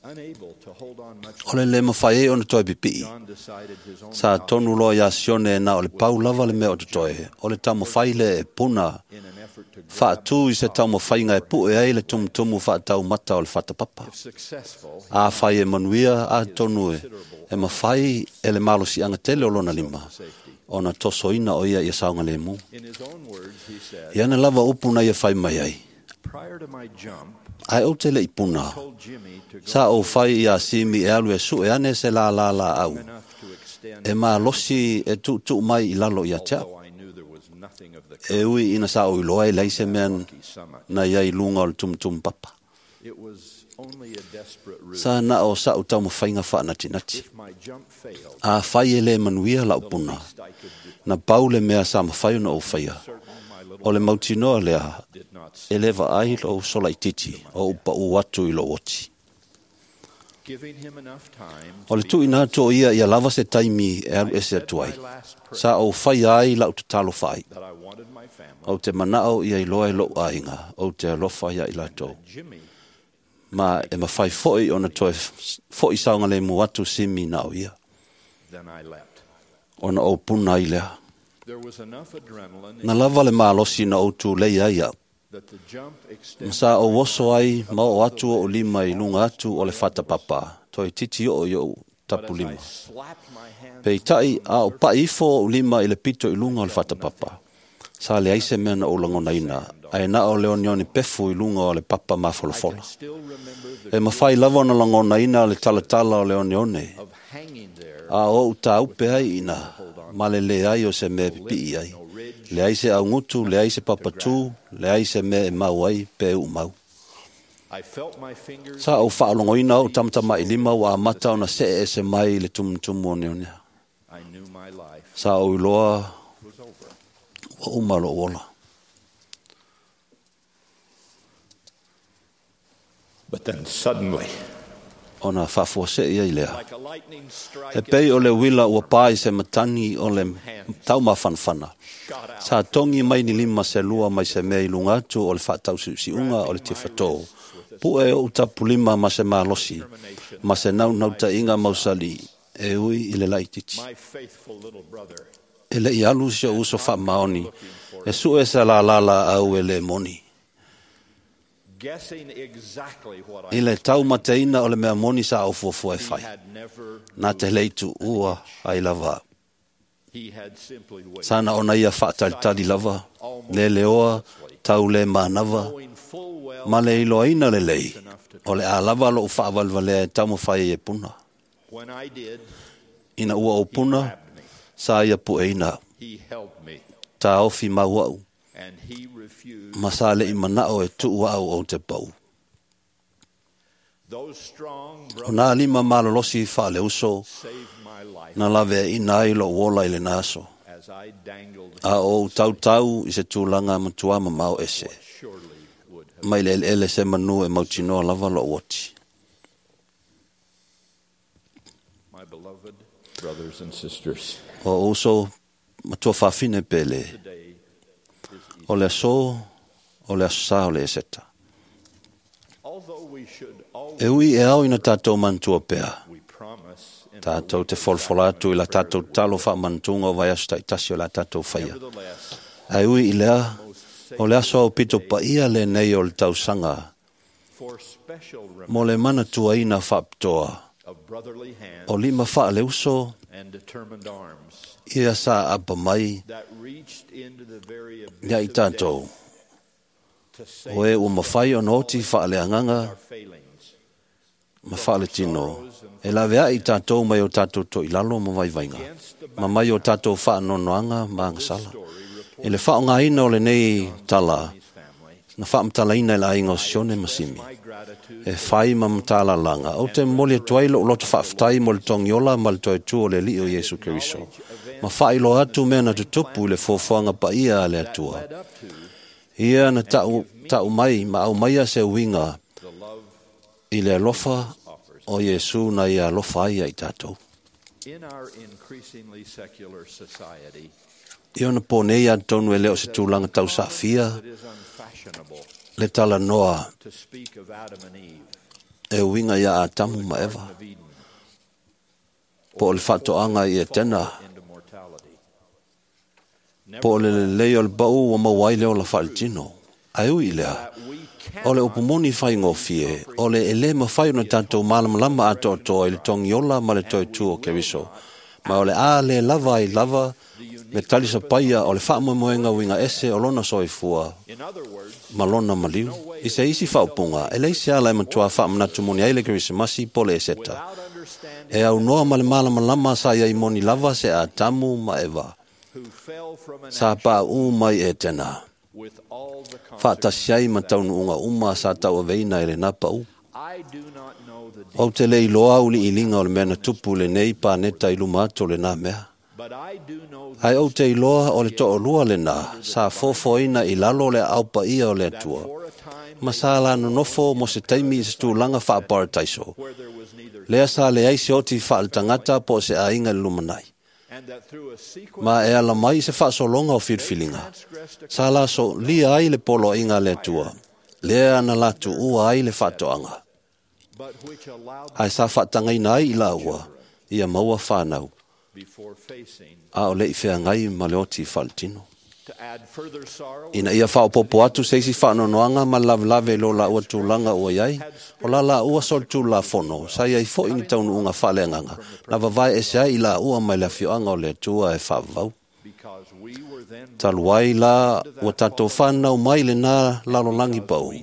Unable to hold on much O le le mafai ai ona toe pipiʻi. John decided his own Sa tonu loa iā Sione na o le pau lava le mea o totoe, o le taumafai le e puna in an effort to faatū i se taumafaiga e puʻe ai le tumutumu faataumata o le fatapapa. if successful, Afai e manuia atonu e, e mafai e le malosiaga tele o lona lima, ona tosoina o ia ia saogalēmū. in his own words, he said, Ia ana lava upu na ia fai mai ai. Prior to my jump, Ae ou te leʻi puna, told Jimmy to go sa ou fai iā Simi e alu e suʻe ane se lālā laʻau, enough to extend, e malosi e tuʻutuʻu mai i lalo ia te au. although I knew there was nothing of the E ui ina sa ou iloa e leai se mea summit. na ia i luga o le tumutumu papa. It was only a desperate ruse. Sa na o sa'u taumafaiga faanatinati. If my jump failed, Afai e lē manuia la'u puna, least I could do na pau le mea sa mafai ona ou faia. certain my little O le mautinoa lea, did not e lē vaai lou solaititi o upaʻu atu i lou oti. giving him enough time O le tuʻuina atu o ia ia lava se taimi e alu ese atu ai. Sa ou faia ai la'u tatalo faai. that I wanted my family, Ou te manaʻo ia iloa e loʻu aiga, ou te alofa ia i latou. Jimmy Ma e mafai foʻi ona toe foʻi saogalēmū atu Simi na o ia. then I leapt. Ona ou puna ai lea. There was enough adrenaline Na lava le malosi na ou tulei ai au. that the jump Ma extended sa ou oso ai ma oo atu o lima i luga atu o le fatapapa, toe titi oo i ou tapu lima. slapped my hand Peitai a o paʻi ifo ou lima i le pito i luga o le fatapapa. Sa leai se mea na ou lagonaina, ae na o le oneone pefu i luga o le papa mafolafola. still remember the E mafai lava ona lagonaina le talatala o le oneone, of hanging there a o ou tāupe ai ina, ma le leai o se mea e pipiʻi ai. Leai se augutu, leai se papatū, leai se mea e mau ai pe uumau. I felt my fingers Sa ou faalogoina ou tamatamaʻi lima ua amata ona seʻe ese mai i le tumutumu o neonea. I knew my life Sa ou iloa was over. ua uma loʻu ola. But then suddenly Ona faafuasei ai lea. E pei o le uila ua pā i se matagi o le taumafanafana. Sa togi mai ni lima se lua mai se mea i luga atu o le faatausiusiuga o le tifatō. Pu'e oʻu tapulima ma se malosi, ma se naunautaiga mausali e ui i le laitiiti. E le'i alu si o'u uso faamaoni e su'e se lālā laau e lē moni. I le taumateina o le mea moni sa ou fuafua e fai. Na te lei tuua ai lava au. Sa na ona ia faatalitali lava, leleoa, tau le manava, ma le iloaina lelei, o le a lava lo'u faavalevalea e taumafai ai e puna. Ina ua ou puna, sa ia pu'eina au. Taofi mau a'u, ma sa le'i mana'o e tu'u a'u ou te pa'u. O nā lima malolosi faaleuso na laveaina ai lo'u ola i lena aso. A o ou tautau i se tulaga matuā mamao ese. Mai le eleele se manu e mautinoa lava lo'u oti. O uso matua fafine pele. O le aso, o le aso sā o le Eseta. E ui e ao ina tātou manatua pea. Tātou te folafola atu i la tātou talo faamanatuga o vaiaso ta'itasi o la tātou faia. Ae ui i lea, o le aso aupito paia lenei o le tausaga mo le manatuaina faapitoa o lima faaleuso ia sa apa mai ia i tātou. O e ua mafai ona oti faaleagaga ma faaletino e laveai i tātou mai o tātou toilalo ma vaivaiga, ma mai o tātou faanoanoaga ma agasala. I le faaaogaina o lenei tala, na faamatalaina e le aiga o Sione ma Simi, e fai ma matalalaga, ou te momoli atu ai lo'u loto faafetai mo le togiola ma le toe tu o le Alii o Iesu Keriso, ma faailoa atu mea na tutupu i le fuafuaga paia a le Atua. Ia na ta'u mai ma aumaia se uiga i le alofa o Iesu na ia alofa ai ia i tātou. I ona pō nei atonu e le o se tulaga tausaafia le talanoa e uiga iā Atamu ma Eva, po o le faatoaga i Etena, po o le lelei o le pa'u ua maua ai le ola faaletino. Ae ui i lea, o le upu moni faigofie, o le e lē mafai ona tatou malamalama atoatoa i le togiola ma le toe tu o Keriso, ma o le a lē lava ai lava le talisapaia o le faamoemoega uiga ese o lona soifua ma lona maliu. I se isi faaupuga, e leai se ala e matuā faamanatu moni ai le Kerisimasi po le Eseta. E aunoa ma le malamalama sa iai moni lava se Atamu ma Eva. Sa paʻu mai Etena. Faatasi ai ma taunuuga uma sa tauaveina e lenā pa'u. Ou te le iloa auliʻiliga o le mea na tupu i lenei paneta i luma atu o lenā mea. Ae ou te iloa o le to'alua lenā sa fofoina i lalo o le aao paia o le Atua, ma sa la nonofo mo se taimi i se tulaga faaparataiso. Lea sa leai se oti faaletagata po o se aiga i le lumanai. Ma e ala mai i se faasologa o filifiliga, sa la solia ai le poloaiga a le Atua, lea na latuua ai le faatoaga. Ae sa faatagaina ai i laua, ia maua fanau, a o le'i feagai ma le oti faaletino. Ina ia faaopoopo atu se isi faanoanoaga ma le lavelave i lo laua tulaga ua i ai, o la laua solitulafono sa i ai fo'i ni taunuuga faaleagaga na vavae ese ai i laua mai le afioaga o le Atua e faavavau. Talu ai la ua tatou fanau mai lenā lalolagi pa'u,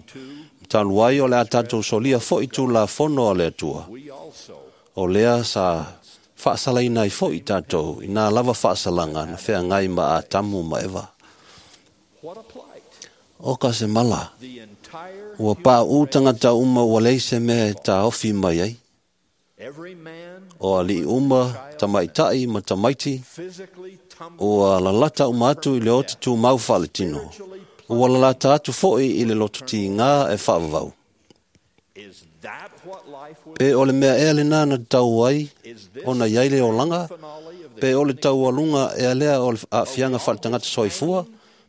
talu ai o le a tatou solia fo'i tulafono a le Atua, o lea sa faasalaina ai fo'i tatou i nā lava faasalaga na feagai ma Atamu ma Eva. O ka se mala, ua paʻu tagata uma ua leai se mea e taofi mai ai. O aliʻi uma, tamaitaʻi ma tamaiti, ua lalata uma atu i le oti tumau faaletino. Ua lalata atu fo'i i le lototigā e faavavau. Pe o le mea ea lenā na tau ai, ona i ai le olaga, pe o le taualuga ea lea o le aafiaga faaletagata soifua,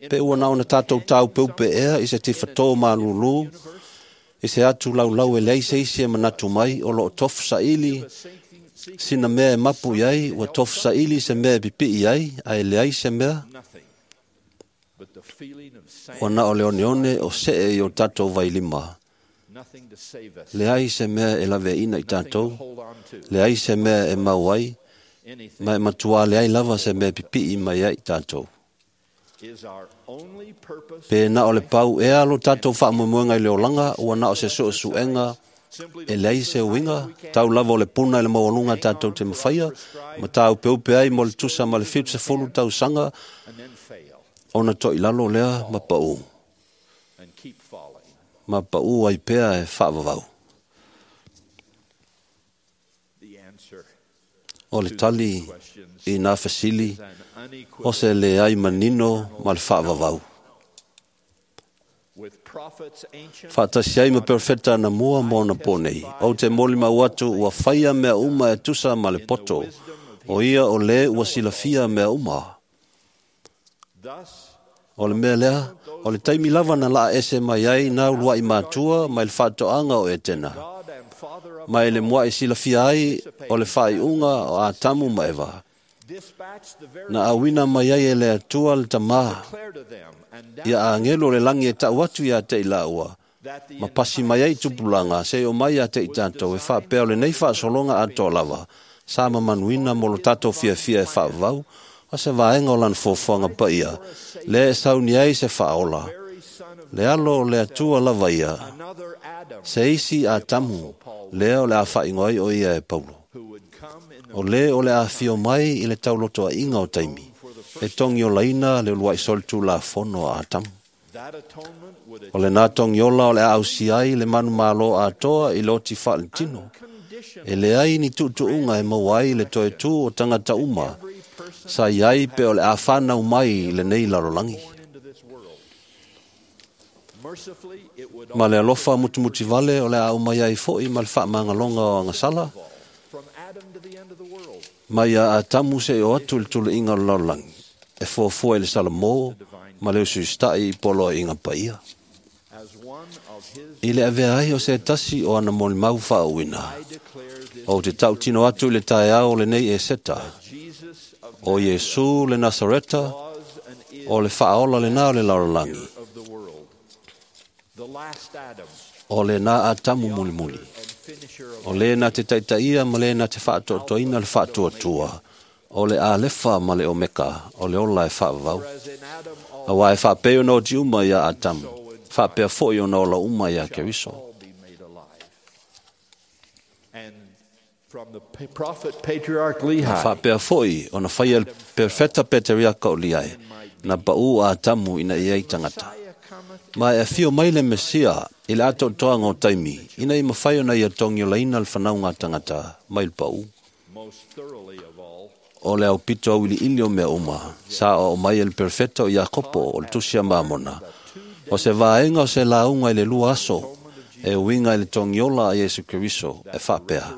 pe ua na ona tatou taupeupe ea i se tifatō malūlū, i se atu laulau e leai se isi e manatu mai o loo tofu saili sina mea e mapu i ai, ua tofu saili se mea e pipii ai, ae leai se mea. Ua na o le oneone o see i o tatou vailima. Leai se mea e laveaina i tatou, leai se mea e mau ai, ma e matua leai lava se mea e pipii mai ai i tatou. Pe na o le pau ea lo tatou faamoemoega i le olaga, ua na o se suesuega e leai se uiga, tau lava o le puna i le maualuga tatou te mafaia, ma taupeupe ai mo le tusa ma le 70 tausaga, ona toilalo lea ma pau. Ma pau ai pea e faavavau. O le tali i nā fesili, o se leai manino ma le faavavau. Faatasi ai ma perofeta anamua ma ona po nei, ou te molimau atu ua faia mea uma e tusa ma le poto, o ia o lē ua silafia mea uma. O le mea lea, o le taimi lava na laa ese mai ai nā uluai matua mai le faatoaga o Etena, mai le mua'i silafia ai o le faaiuga o Atamu ma Eva, na auina mai ai e le Atua le Tamā, ia agelo o le lagi e tau atu ia te i laua, ma pasi mai ai tupulaga se o mai ia te i tatou e faapea o lenei faasologa atoa lava, sa mamanuina mo lo tatou fiafia e faavavau, o se vaega o lana fuafuaga paia, lea e sauni ai se faaola. Le alo o le Atua lava ia, se isi Atamu, lea o le a faaigoa ai o ia e Paulo. O lē o le a afio mai i le taulotoaiga o taimi, e togiolaina le uluai solitulafono a Atamu. O lenā togiola o le a ausia ai le manumalo atoa i le oti faaletino. E leai ni tuutuuga e maua ai le toe tū o tagata uma, sa i ai pe o le a whanau mai i lenei lalolagi. Ma le alofa mutumuti vale o le a umai ai fo'i ma le faamagaloga o agasala, mai a Atamu se o atu le tuluiga o le lalolagi, e fuafua i le Salomō ma le usuista'i i poloaiga paia. I le avea ai o se tasi o ana molimau faauuina, ou te tautino atu i le taeao o lenei Eseta, o Iesu le Nasareta, o le faaola lenā o le lalolagi, o lenā Atamu mulimuli, o lē na te taitaia ma lē na te faatoatoaina le faatuatua, o le Alefa ma le Omeka, o le ola e faavavau. Auā e faapei ona oti uma ia Atamu, faapea fo'i ona ola uma iā Keriso. Na faapea fo'i ona faia le perofeta Peteriaka o Liae, na pa'ū a Atamu ina ia ai tagata. Ma e afio mai le Mesia i le atoatoaga o taimi, ina ia mafai ona ia togiolaina le fanauga a tagata mai le pa'ū. O le aupito auiliili o mea uma, sa oo mai e le perofeta o Iakopo o le tusi a Mamona, o se vaega o se lauga i le lua aso, e uiga i le togiola a Iesu Keriso e faapea,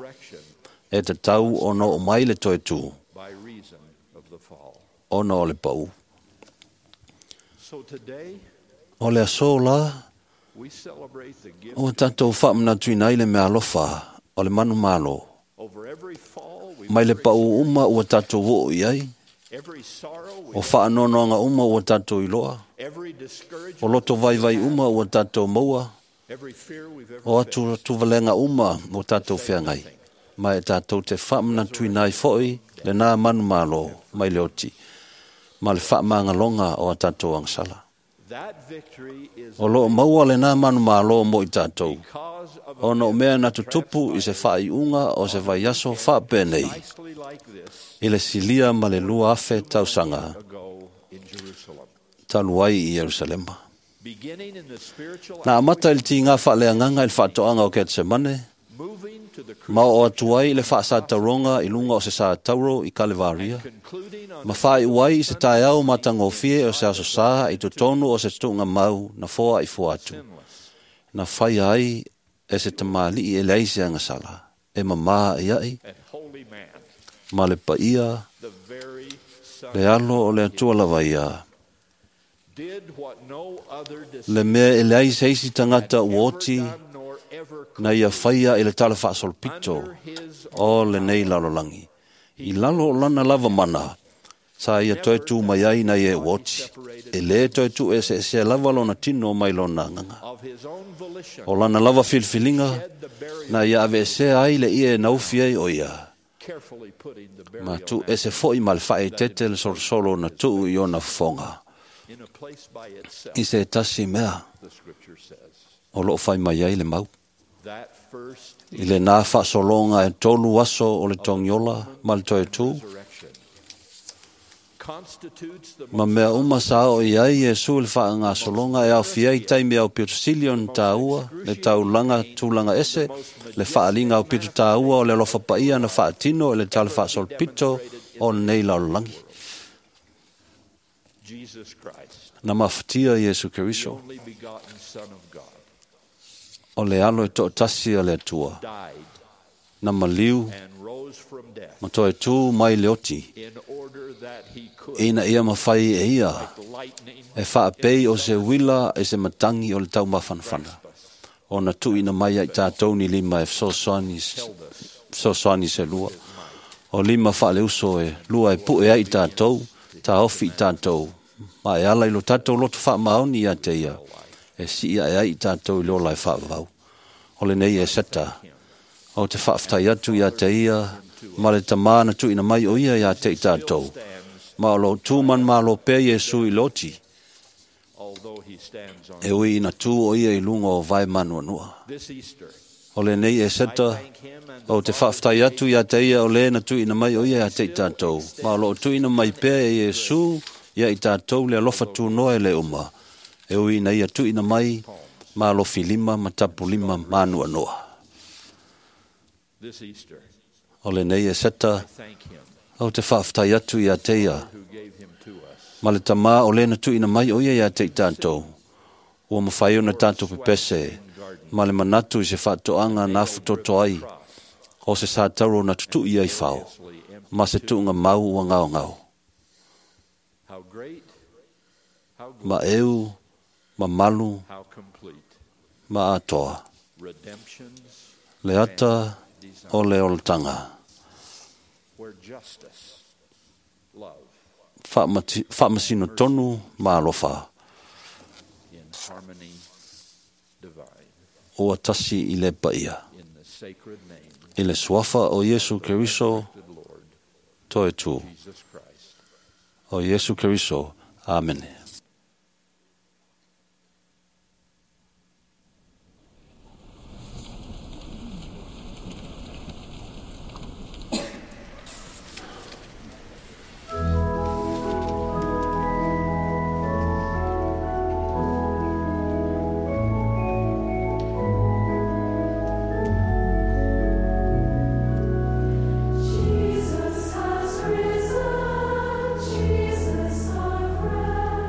e tatau ona oo mai le toe tū, ona o le pa'ū. O le aso la, ua tatou faamanatuina ai le meaalofa o le manumalo, mai le pa'ū uma ua tatou oo i ai, o faanoanoaga uma ua tatou iloa, o loto vaivai uma ua tatou maua, o atuatuvalega uma ua tatou feagai, ma e tatou te faamanatuina ai fo'i lenā manumalo mai le oti, ma le faamagaloga o a tatou agasala. O loo maua lenā manumalo mo i tatou, ona o mea na tutupu i se faaiuga o se vaiaso faapenei, i le silia ma le 2,000 tausaga talu ai i Ierusalema. Na amata i le tigā faaleagaga i le faatoaga o Ketsemane, ma oo atu ai i le faasatauroga i luga o se satauro i Kalevaria, ma faaiu ai i se taeao matagofie o se aso Sā i totonu o se tuugamau na foaifua atu, na faia ai E se tamalii e leai se agasala, e mamā i ai, ma le paia, le alo o le Atua lava ia. Le mea e leai se isi tagata ua oti na ia faia i le tala faasolopito o lenei lalolagi. I lalo o lana lava mana, sa ia toe tū mai ai na ia ua oti. E lē toe tuu eseesea lava lona tino mai lona agaga. O lana lava filifiliga na ia aveesea ai le ie e naufi ai o ia. Ma tuu ese fo'i ma le faaeteete le solosolo na tuu i ona fofoga. I se tasi mea o loo fai mai ai le mau. I lenā faasologa e 3 aso o le togiola ma le toe tū, ma mea uma sa oo i ai Iesu i le faagasologa e aofia ai taimi aupito sili ona tāua, le taulaga tulaga ese, le faaliga aupito tāua o le alofa paia na faatino i le tala faasolopito o lenei lalolagi. Na mafatia Iesu Keriso, o le alo e toatasi a le Atua, na maliu ma toe tū mai le oti, ina ia mafai e ia e faapei o se uila e se matangi o le taumafanafana, ona tuuina mai ai tatou ni lima e fesoasoani se lua, o lima faaleuso e lua e pu'e ai tatou, taofi i tatou, ma e ala i lo tatou loto faamaoni ia te ia, e sii ae ai i tatou i le ola e faavavau. O lenei Eseta, o te faafetai atu ia te ia, ma le tamā na tuuina mai o ia ia te i tatou, ma o loo tū manumalo pea Iesu i le oti, e ui ina tū o ia i luga o vae manuanua. O lenei Eseta, o te faafetai atu ia te ia o lē na tuuina mai o ia ia te i tatou, ma o loo tuuina mai pea e Iesu ia i tatou le alofa tunoa e le uma, e ui ina ia tuuina mai ma alofi lima ma tapu lima manuanoa. O lenei Eseta, o te faafetai atu ia te ia, ma le tamā o lē na tuuina mai o ia ia te i tatou, ua mafai ona tatou pepese, ma le manatu i se faatoaga na afutoto ai, o se sa tauro na tutu'i ai fao, ma se tuuga mau ua gaogao. Ma eu, mamalu, ma atoa. Le ata o le olataga. Faamasino tonu ma alofa. Ua tasi i le paia. I le suafa o Iesu Keriso, toe tū. O Iesu Keriso. Amene. Jesus has risen, Jesus our friend.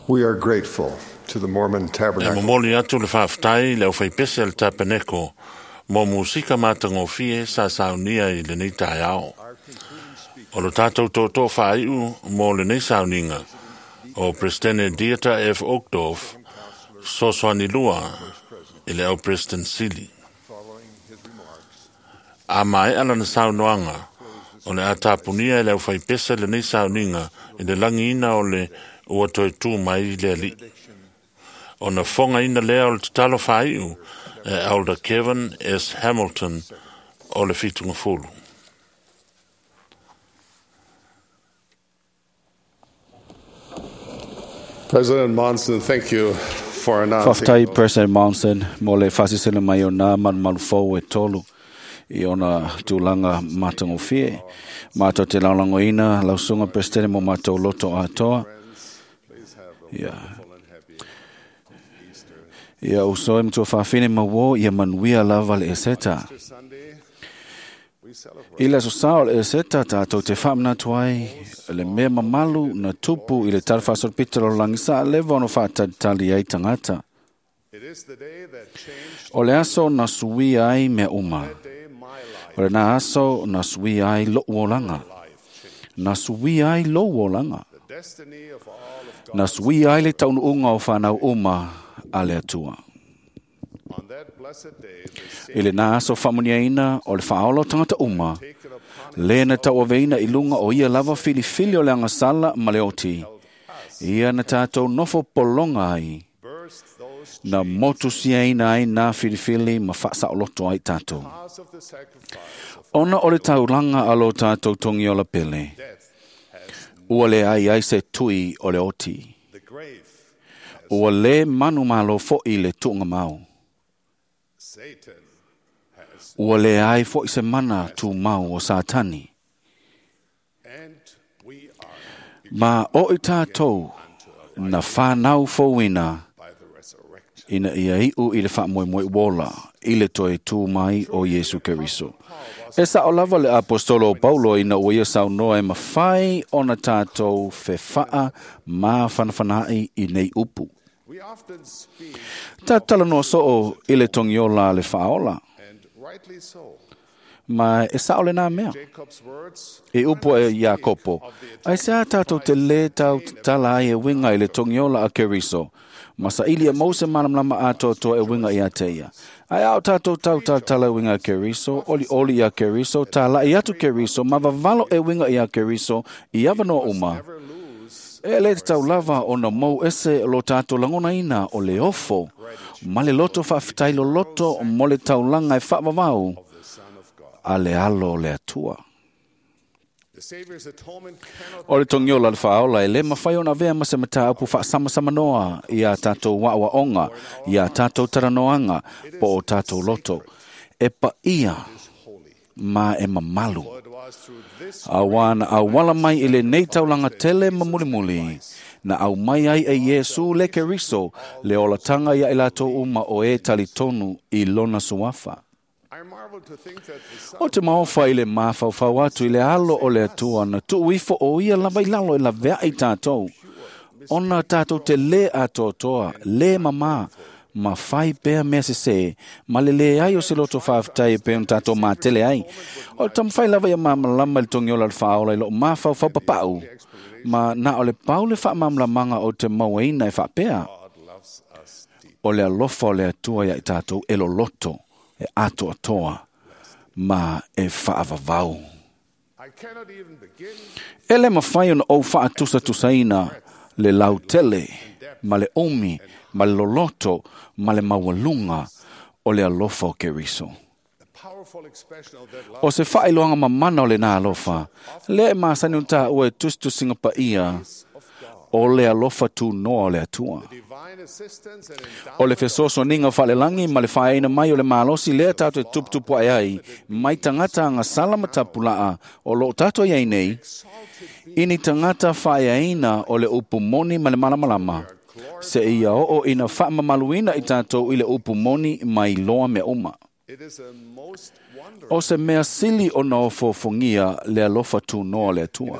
We are grateful to the Mormon E Tabernacle momoli atu le faafetai le aufaipese a le tapeneko mo musika matagofie sa saunia i lenei taeao. O lo tātou tōtō whāiu mo lenei sauniga o Presidente Dieter F. Uchtdorf, Sosoani Lua i le au President Sili. A mai ala na saunoanga o le atapunia i le au whaipese lenei sauniga i le langiina o le ua toe tū mai i le alii. O na fonga ina lea o le tatalo whaiu e Elder Kevin S. Hamilton o le fitunga fulu. President Monson, thank you for announcing. Faafetai President Monson mo le faasisina mai o nā malumalu fou e tolu i ona tulaga matagofie. Matou te lagolagoina lausuga Peresetene mo matou loto atoa. Ia. Ia uso e matua faafine ma uō ia manuia lava le Eseta. I le aso sa o le Eseta tātou te faamanatu ai le mea mamalu na tupu i le tala faasolopito o le lalolagi sa leva ona faatalitali ai tagata. O le aso na suia ai mea uma. O lena aso na suia ai lo'u olaga. Na suia ai lou olaga. Na suia ai le taunuuga o fanau uma a le Atua. I lena aso faamuniaina o le faaola o tagata uma, le na tauaveina i luga o ia lava filifili o le agasala ma le oti. Ia na tātou nofo pologa ai, na motusiaina ai nā filifili ma faasaoloto ai tātou. Ona o le taulaga a lo tātou togiola pele, ua leai ai se tui o le oti. Ua lē manumalo foʻi le tuugamau. Ua leai foʻi se mana tumau o Satani. Ma o i tātou na whānau fouina ina ia iu i le faamoemoe uola i le toe tū mai o Iesu Keriso. E sao lava le apostolo o Paulo ina ua ia saunoa e mafai ona tātou fefaa mafanafanaai i nei upu. Tātou soo i le togiola le faaola. Ma e sao le nā mea. E upu e Iakopo. Ai se a tātou te lē tau tatala ai e winga i le togiola a Keriso. Ma sa ili e mause malamalama atoatoa e winga ia te ia. Ai ao tātou tau tātala e winga a Keriso, oli oli ia Keriso, tālai atu Keriso, ma vavalo e winga ia Keriso, i awanoa uma. E le te tau lava o na mou ese lo tātou langona ina o le ofo, ma le loto faafetai loloto mo le taulaga e faavavau a le alo o le Atua. O le togiola le faaola e lē mafai ona avea ma se mataupu faasamsamanoa ia tātou aoaoga, ia tātou talanoaga po o tātou loto. E paia ma e mamalu. Auā na auala mai i lenei taulaga tele ma mulimuli, na aumai ai e Iesu le Keriso le olataga ia i latou uma o e talitonu i lona suafa. O te maofa i le mafaufau atu i le alo o le Atua na tuu ifo o ia lava i lalo e laveai tātou. Ona tātou te lē atoatoa, lē mamā, ma fai pea mea sesē, ma le leai o se loto faafetai e pei ona tātou matele ai. O le taumafai lava ia malamalama i le togiola le faaola i loo mafaufau papau, ma na o le pau le faamalamalamaga o te mauaina e faapea. O le alofa o le Atua ia i tātou e loloto, e atoatoa, ma e faavavau. E le mafai ona ou faatusatusaina le lautele, ma le umi, ma le loloto, ma le maualuga o le alofa o Keriso. O se faailoaga mamana o lenā alofa, lea e masani ona tāua e tusitusiga paia o le alofa tunoa o le Atua. O le fesoasoaniga faalelagi ma le faaeaina mai o le malosi lea tatou e tuputupu ae ai mai tagata agasala ma tapulaa o loo tatou iai nei, i ni tagata faaeaina o le upu moni ma le malamalama, se ia oo ina faamamaluina i tatou i le upu moni mai loa mea uma. O se mea sili ona ofoofogia le alofa tunoa o le Atua.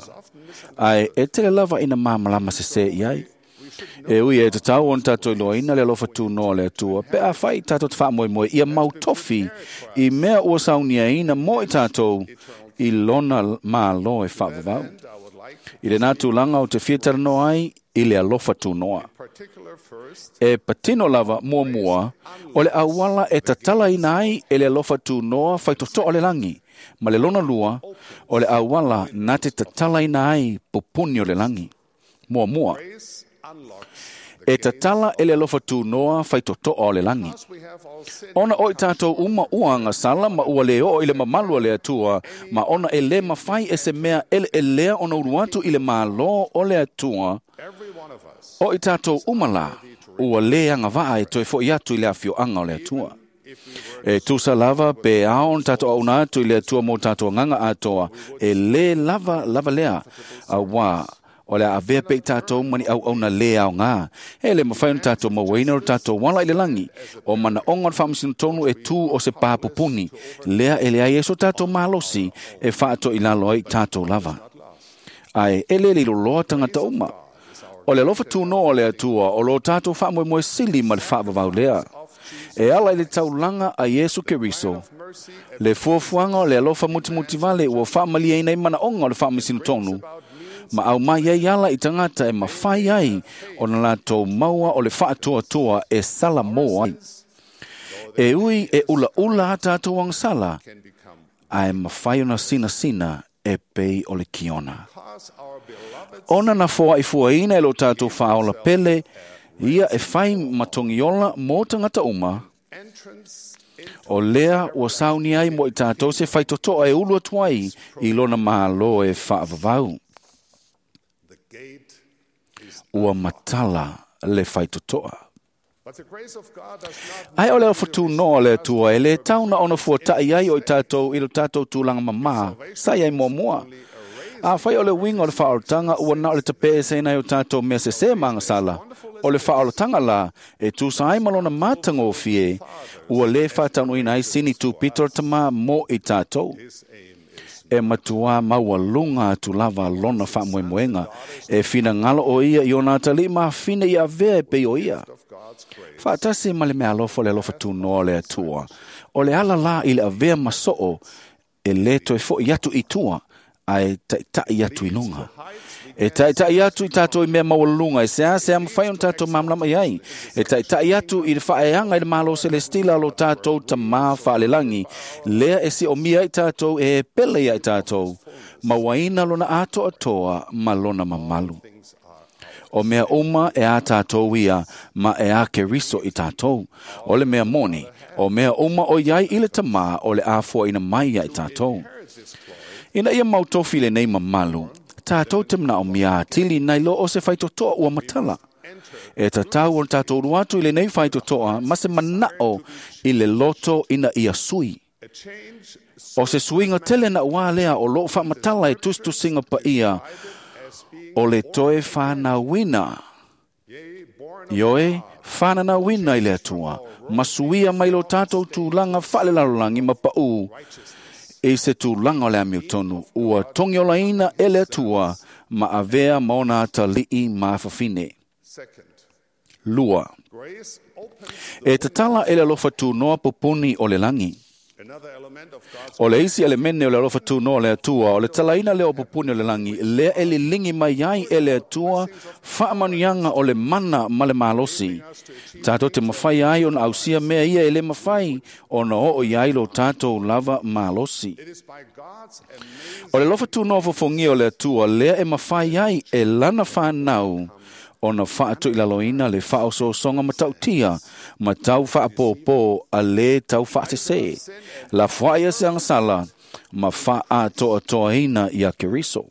Ae e tele lava ina malamalama sesē i ai. E ui e tatau ona tātou iloaina le alofa tūnoa le Atua, pe a fai tātou te faamoemoe ia mau tofi i mea ua sauniaina mo i tātou i lona malo e whaavavau. I le nā tūlanga o te fiataranoa ai i le alofa tūnoa. E patino lava mua mua, o le awala e tatala ina ai e le alofa tūnoa whaitotoa le langi. Ma le lona lua, o le awala nā te tatala ina ai pupuni o le langi. Mua mua. E tatala e le alofa tūnoa whaitotoa o le langi. Ona oi tātou uma uanga sala ma ua le o i le mamalu o le atua, ma ona e le mawhai e se mea ele e lea ona uruatu i le malo o le atua, o i tātou uma la, ua le anga vaa e toe fo i atu i le awhioanga o le atua. E tusa lava pe aon tātou auna atu i le atua mō tātou nganga atoa, e le lava lava lea, a wā, o le a avea pe i tātou mani au au na le au ngā. E le mawhai o tātou mawaina o tātou wala i le langi. O mana onga o whaamisino tonu e tū o se pāpupuni. Lea e le ai eso tātou malosi e whaato i lalo ai tātou lava. Ai, e le lilo loa tangata uma. O le alofa tūno o le atua o lo tātou whaamoemoe sili ma le whaavavau lea. E ala i le taulanga a Iesu Keriso. Le fuafuanga o le alofa mutimuti vale ua whaamalia ina i mana onga o le whaamisino tonu. Ma au mai ai ala i tangata e mawhai ai o na lātou maua o le whaatoatoa e sala mō ai. E ui e ula ula a tātou ang sala, a e mawhai ona sina sina e pei o le kiona. Ona na foa i fuaina e lo tātou whaola pele, ia e whai matongiola mō tangata uma, o lea ua sauni ai mo i tātou se whaitotoa e ulu atu ai i lona mālo e whaavavau. Ua matala le whaitotoa. Ai o le alofa noa le atua e le tauna ona fuatai ai o i tātou i lo tātou tūlanga mamā, sai ai mua mua. A whai o le winga o le whaorotanga ua na o le tape e sena o tātou mea se se manga sala. O le whaorotanga la e tūsa ai malona mātanga o fie, ua le whātaunuina ai sini tūpito tama mō i tātou. E matua maua lunga atu lava lona whaamoemoenga. E whina ngalo o ia i ona atali ma whina i avea e pei o ia. Whaatasi ma le mea alofa le alofa tūnoa le atua. O le ala la i le avea masoo e le toe fo i atu i tua a e taitai atu i lunga. E taitai atu i tātou i mea maua lunga, e sea sea mawhai on tātou mamlama i ai. E taitai atu i le whaeanga i le malo celestila lo tātou tamā whaalelangi. Lea e si o mia i tātou e pele ia i tātou. Mawaina lona ato atoa ma lona mamalu. O mea uma e a tātou ia, ma e a keriso i tātou. O le mea moni, o mea uma o iai i le tamā o le āfua ina mai ia i tātou. Ina ia mautofi le nei mamalu, tātou te mna o mia atili nei lo o se whaitotoa ua matala. E tatau o tātou ruatu i le nei whaitotoa, ma se manao i le loto ina ia sui. O se suinga tele na ua lea o lo whamatala e tustusinga pa ia, o le toe whanauina. Ioe, whananauina i le atua, masuia mai lo tātou tūlanga whalelalolangi ma pau, e se tūlanga o le amiotonu, ua tongiolaina e le atua, ma avea maona atalii maafafine. Lua. E tatala e le alofa tūnoa pupuni o le langi. O le isi elemene o le alofa tūnoa le atua, o le talaina lea o pupuni o le langi, lea e lilingi mai ai e le atua, faamanuiaga o le mana ma le malosi. Tātou te mawhai ai ona ausia mea ia e le mawhai, ona oo i ai lo tātou lava malosi. O le alofa tūnoa fofongia o le atua, lea e mawhai ai e lana whanau, ona whaatu i laloina le whaosoosonga matautia, ma tau whaapōpō a le tau whaatese. La whaia se angasala, ma whaatoatoaina i a Keriso.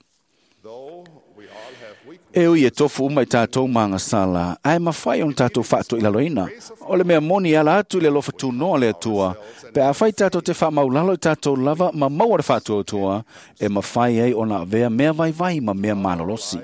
E ui e tofu uma i tātou maangasala, ae mawhai ona tātou whaatu i laloina. O le mea moni ala atu i le alofa tūnoa le atua, pe a whai tātou te whaamaulalo i tātou lava ma maua le whaatu atua, e mawhai ai ona avea mea vaivai ma mea malolosi.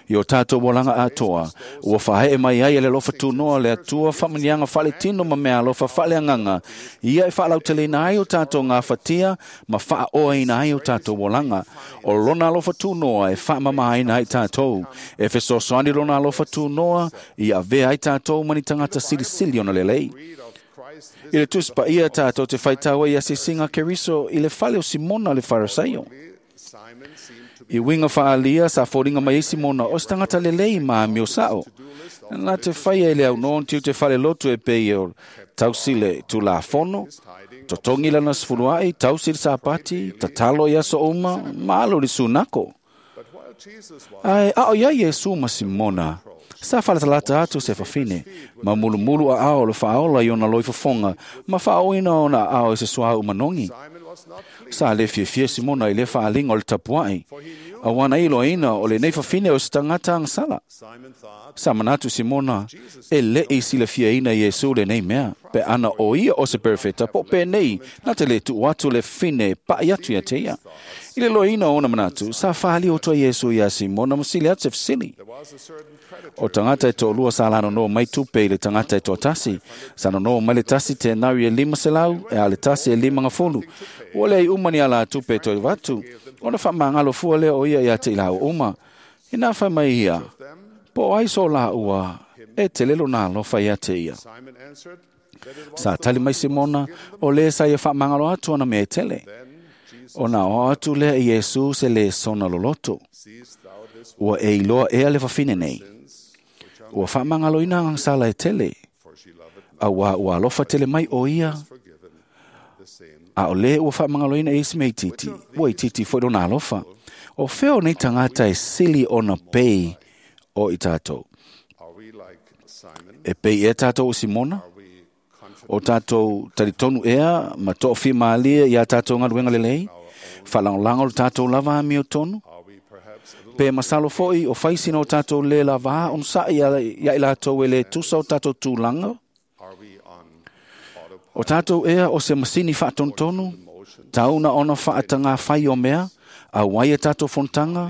I o tātou olaga atoa, ua faaee mai ai e le alofa tunoa le Atua faamanuiaga faaletino ma meaalofa faaleagaga, ia e faalauteleina ai o tātou gafatia ma faaoaina ai o tātou olaga. O lona alofa tunoa e faamamāina ai tātou, e fesoasoani lona alofa tunoa ia avea ai tātou ma ni tagata silisili ona lelei. I le Tusi Paia tātou te faitau ai i asiasiga a Keriso i le fale o Simona le Farisaio. I uiga faaalia sa foliga mai ai Simona o se tagata lelei ma amio sa'o. Na te faia i le aunoa ona tiute faalelotu e pei o tausi le Tulafono, totogi lana sefulua'i, tausi le Sapati, tatalo i aso uma, ma alo i le sunako. Ae a o iai Iesu ma Simona, sa faalatalata atu se fafine, ma mulumulu aao o le faaola i ona loifofoga, ma faaoina ona aao i se suauu manogi. Sa le fiafia Simona i le faaaliga o le tapua'i, auā na iloaina o lenei fafine o se tagata agasala. Sa manatu Simona, e le'i silafiaina e Iesu lenei mea, pe ana o ia o se perofeta po o penei na te lē tuu atu le fafine e pa'i atu ia te ia. I le loaina o ona manatu, sa faali oto ai Iesu iā Simona ma sili atu se fesili. O tagata e toalua sa lanonoa mai tupe i le tagata e toatasi. Sa nonoa mai le tasi tenari e 500, e a le tasi e 50. Ua leai uma ni alā tupe e toe avatu, ona faamagalo fua lea o ia iā te i laua uma. Inā fai mai ia, po o ai so laua e tele lona alofa ia te ia. Sa tali mai Simona, o lē sa ia faamagalo atu ona mea e tele. Ona oo atu lea i Iesu se lesona loloto. Ua e iloa ea le fafine nei. Ua faamagaloina agasala e tele, auā ua alofa tele mai o ia, a o lē ua faamagaloina e isi mea itiiti, ua itiiti foi lona alofa. O fea o nei tagata e sili ona pei o i tātou? E pei ea tātou o Simona? O tātou talitonu ea ma toafilemalie iā tātou galuega lelei? Faalagolago le tātou lava amiotonu? Pe masalo fo'i o fai sina o tātou lē lavā onosa'i ia i latou e lē tusa o tātou tulaga? O tātou ea o se masini faatonutonu, tau na ona faatagafai o mea, auai e tātou fonotaga,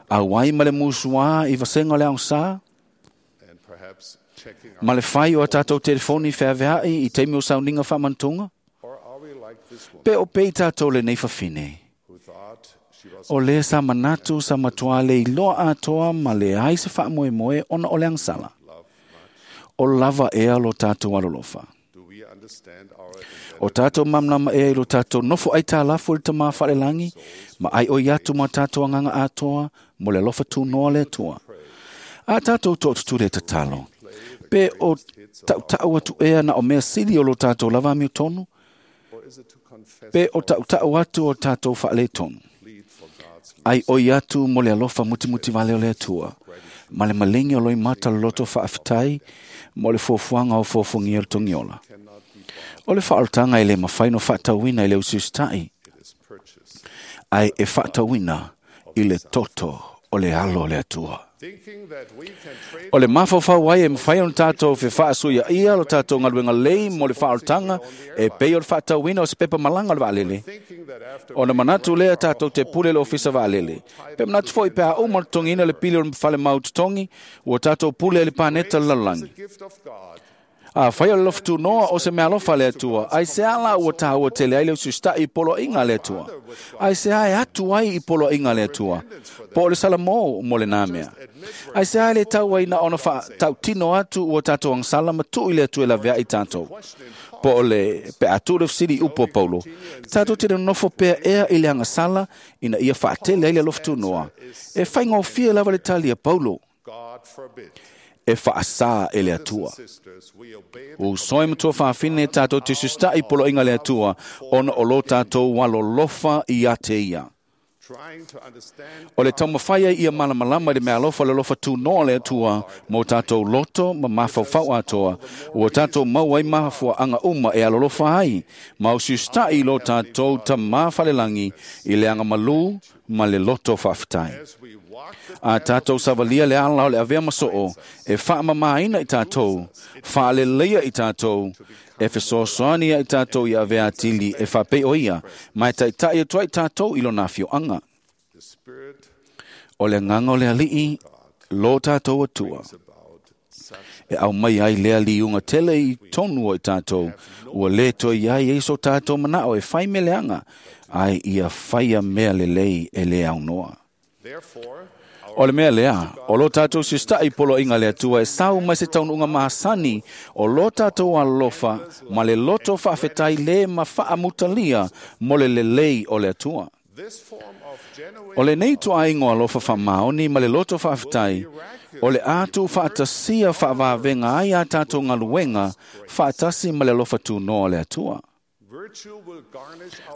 auai ma le musuā i vasega o le agasā, ma le fai o a tātou telefoni feavea'i i taimi o sauniga faamanatunga? Pe o pei tātou lenei fafine? O lē sa manatu sa matuā le iloa atoa ma leai se faamoemoe ona o le agasala. O lava ea lo tātou alolofa. O tātou malamalama ea i lo tātou nofo aitalafu i le Tamā Faalelagi, ma aioi atu ma tātou agaga atoa mo le alofa tunoa le Atua. A tātou tootutule e tatalo, pe o tautau atu ea na o mea sili o lo tātou lava amiotonu, pe o tautau atu o tātou faaletonu. Aioi atu mo le alofa mutimuti vale o le Atua, ma le maligi o loimata loloto faafetai mo le fuafuaga o fuafuagia o le togiola. O le faaolataga e lē mafai ona faatauina i le usiusita'i, ae e faatauina i le toto o le alo o le Atua. O le mafaufau ai e mafai ona tātou fefaasuiaia lo tātou galuega lelei mo le faaolataga e pei o le faatauina o se pepa malaga o le vaalele. Ona manatu lea tātou te pule le ofisa vaalele. Pe manatu foi pe a uma le totogiina le pili o le falemau totogi, ua tātou pule ai le paneta o le lalolagi. Afai o le alofa tunoa o se meaalofa a le Atua, aisea la ua tāua tele ai le usiusita'i i poloaiga a le Atua? Aisea e atu ai i poloaiga a le Atua? Po o le Salamo mo lenā mea. Aisea e le tau ai na ona faatautino atu ua tātou agasala ma tuu i le Atua e laveai tātou? Po o le pe a tuu le fesili i upu a Paulo, tātou te nonofo pea ea i le agasala ina ia faatele ai le alofa tunoa. E faigofie lava le tali a Paulo. E faasā e le Atua. Uso e ma tuafafine tātou te usiusita'i i poloaiga a le Atua, ona o lo tātou alolofa ia te ia. O le taumafai ai ia malamalama i le meaalofa o le alofa tunoa o le Atua mo tātou loto ma mafaufau atoa, ua tātou maua ai mafuaaga uma e alolofa ai, ma usiusita'i i lo tātou Tamā Falelagi i le agamalū ma le loto faafetai. A tātou savalia le ala o le avea ma soo, e faamamāina i tātou, faaleleia i tātou, e fesoasoani ai tātou i avea atili e faapei o ia, ma e taitai atu ai tātou i lona afioaga. O le agaga o le Alii Lo tātou atua. E au mai ai lea liunga tele i tonu o i tātou, ua le toi ai e so tātou manao e whai meleanga, ai ia whaia mea lelei e le au noa. O le mea lea, o lo tātou sistai polo inga le atua e sau mai se taununga mahasani, o lo tātou alofa ma le loto whaafetai le ma whaamutalia mo le lelei o le atua. O le nei tuaingo alofa whamaoni ma le loto whaafetai, o le atu whaatasia whaavavenga ai a tātou ngaluenga whaatasi ma le alofa tūnoa le atua.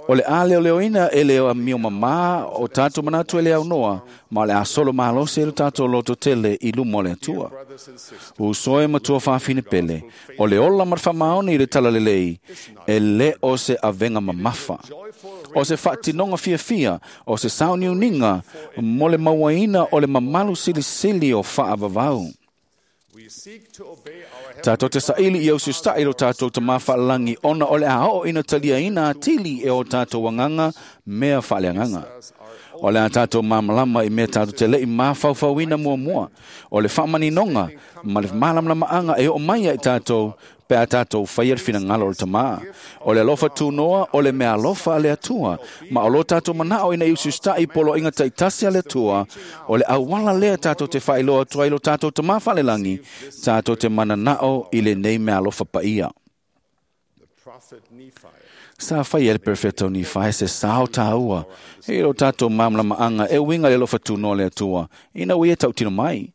O le a leo leoina e leo a mio mamā o tātou manatu e le au noa, ma o le a solo malose e le tātou loto tele i lumo le atua. Usoe matua whawhine pele, o le ola marwhamaoni i le talalelei, e le o se avenga mamafa. O se whaatinonga fiafia, o se sauniuninga, mo le mauaina o le mamalu silisili o whaavavau. Tātou te saili i au sustai lo tātou te mawhaalangi ona o le a ina talia ina atili e o tātou wanganga mea whaaleanganga. O le a tātou māmalama i mea tātou te lei māwhauwhauina mua mua. O le whaamaninonga ma le mālamlama e o mai ai tātou pe a tātou whaia le whinangalo o le tamā. O le alofa tūnoa, o le mea alofa a le atua. Ma o lo tātou manao ina i usustai polo inga taitasi a le atua, o le awala lea tātou te whailoa tua i lo tātou tamā whalelangi, tātou te mananao i le nei mea alofa paia. Sa whai e le perfecto ni whai se sao tāua. E lo tātou mamlama anga e winga le alofa tūnoa le atua. Ina ui e tautino mai.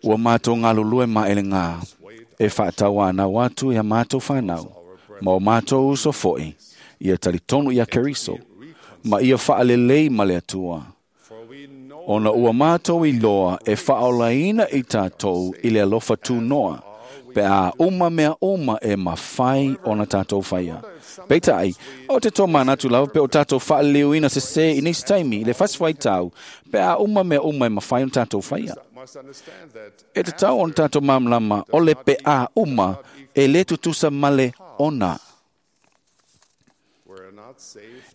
Ua mātou ngā ma ele ngā. E whaatau anau atu i a mātou whanau. Ma o mātou uso foi. Ia talitonu ia Keriso. Ma ia whaalelei ma le atua. Ona ua mātou i loa e whaolaina i tātou i le alofa tūnoa. Pe a uma mea uma e mawhai ona tātou whaia. Peitai, o te tō manatu lava pe o tātou whaaleuina se se i nisi taimi, le whaswai tau, pe a uma mea uma e mawhai ona tātou whaia. E te tau ona tātou mamlama, o le pe a uma e le tutusa male ona.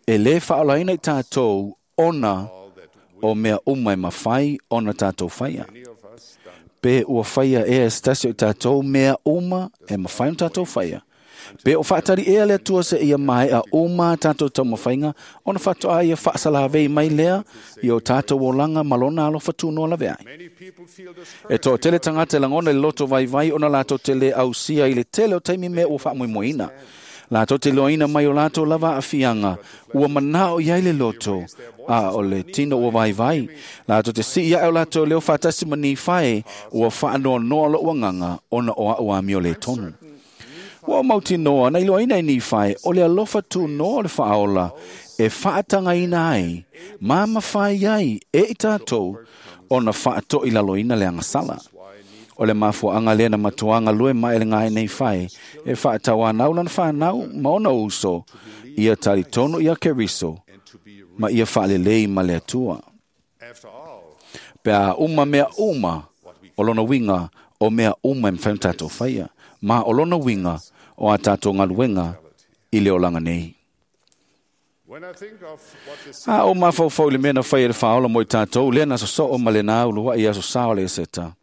E le whaolaina i tātou ona o mea uma e mawhai ona tātou whaia. Pe ua whaia e stasi o tātou mea uma e mawhai o tātou whaia. Pe o whaatari ea le atua se ia mai a uma tātou taumawhainga, ona whatoa ia whaasalawei mai lea i o tātou olanga malona alo whatunoa lawe ai. E tō tele tangata langona le loto vaivai ona lātou tele ausia i le tele o taimi mea ua whaamoemoeina. Lātou te loaina mai o lātou lava a fianga, ua manao iai le loto, a o le tino ua vaivai. Lātou te si ia o lātou leo whaatasi mani whae, ua whaanoa noa lo uanganga, ona o au amio le tonu. Ua mauti noa, na iloaina i ni whae, o le alofa tū noa le whaola, e whaatanga ina ai, māma whai ai, e i tātou, ona whaato i laloina le angasala. O le mafuanga lena matuanga lue mai le ngai nei whai, e whaatau anau lana whanau, ma ona uso, ia talitonu ia Keriso, ma ia whaalelei ma le atua. Pe a uma mea uma, o lona winga, o mea uma e mwhai tātou whaia, ma o lona winga, o a tātou ngaluenga, i le olanga nei. A o mawhauwhau le mea na whai e le whaola mo i tātou, lena so so o ma le nā ulua i aso sao le seta.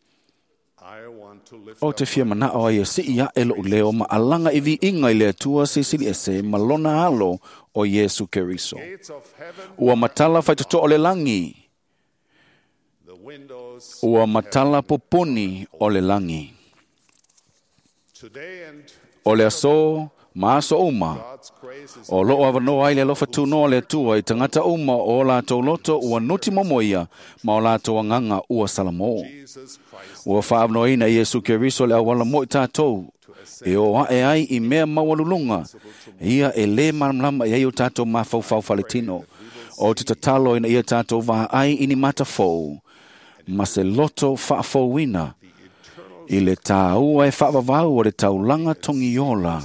O te fia manao ai e si ia e loo leo ma alanga i vi inga i le atua sisili ese ma lona alo o Yesu Keriso. Ua matala whaitoto o le langi. Ua matala poponi o le langi. O le aso, ma aso uma. O loo awanoa ai le alofa tūnoa le atua i tangata uma o lātou loto ua nuti momoia ma o lātou anganga ua salamo. Ua whaavanoina Yesu Keriso le awala mo i tātou. E o ae ai i mea maualulunga. Ia e le malamlama i ai o tātou mawhauwhau whaletino. O te tatalo ina ia tātou vā ai ini matafou. Ma se loto whaafouina. I le tāua e whaavavau o le taulanga tongiola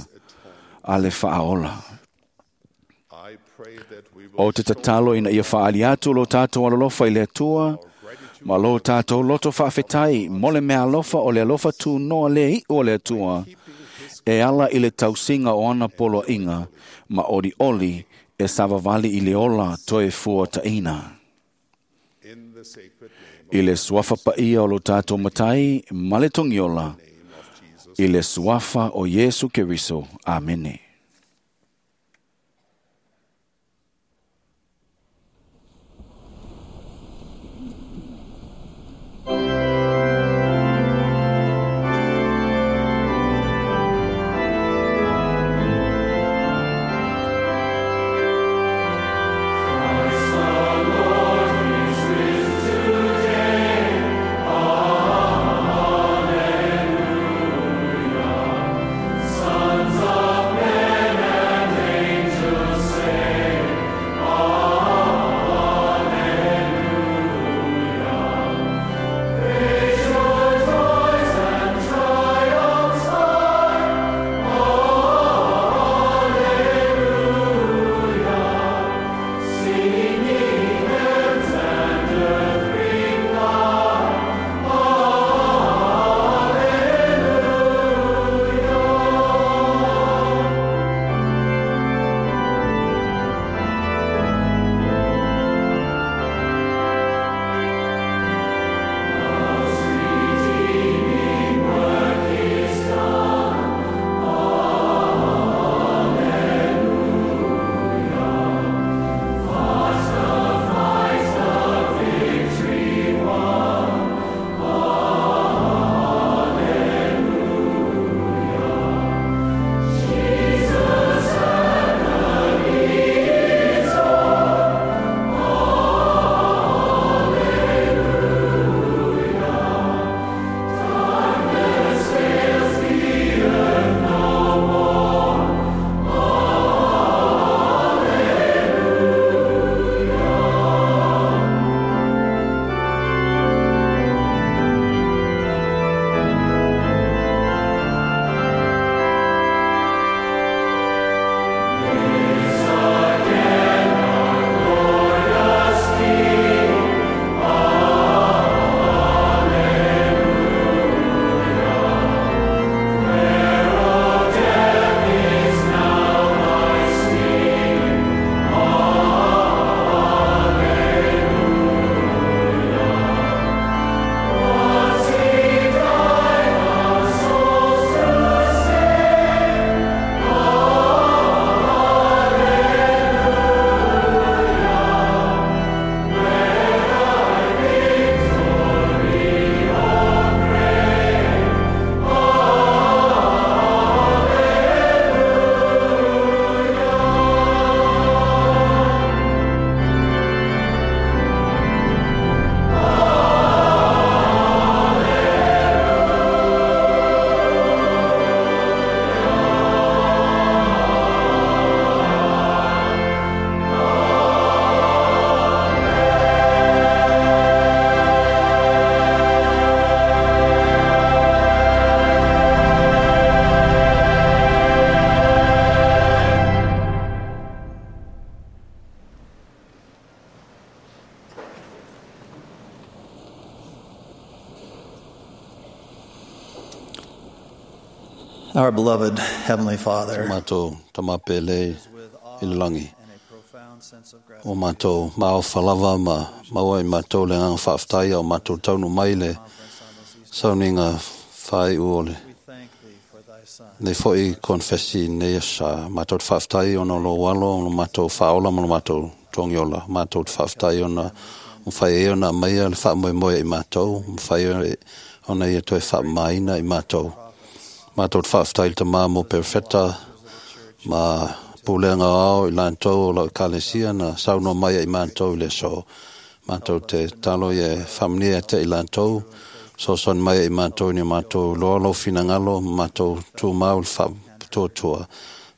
a le whaaola. O te tatalo ina ia whaali atu lo tātou alolofa i le atua, ma lo tātou loto whaafetai, mo le mea alofa o le alofa tū noa le i o le atua, e ala i le tausinga o ana polo inga, ma ori oli e savavali i le ola toe fua taina. I le suafa paia o lo tātou matai ma le togiola, i le suafa o Iesu Keriso. Amene. Sons of men and angels say, Alleluia. Raise your joys and triumphs high, Alleluia. Singing hymns and earth reply, Alleluia. Redeeming work is done. Alleluia. Fought the fight, the victory won. Alleluia. Jesus agony is o'er. Alleluia. Darkness veils the earth no more. Alleluia. Is again our glorious King. Alleluia. Where, O death, is now thy sting? Alleluia. Once he died our souls to save. Alleluia. Where thy victory, O grave? Alleluia. Our beloved Heavenly Father, Mātou tamapele i le langi. O mātou maofa lava ma maua i mātou le nganga whaaftaia o mātou taunu mai le sauniga whai u o le. Nei foi konfesi nei sa mātou te whaaftai ona lo walo o mātou whaola ma lo mātou tongiola. Mātou te whaaftai ona mwhai e ona maia le wha moe i mātou, mwhai e ona ia toe wha maina i mātou. Mātou te whaaftai le tamā mō perfeta ma pūlenga ao i lantou o lau kalesia na sauno mai i mātou i le so. Mātou te talo i e whamnia te i lantou, so son mai i mātou ni mātou loa lau finangalo, mātou tūmau le whaapitotua.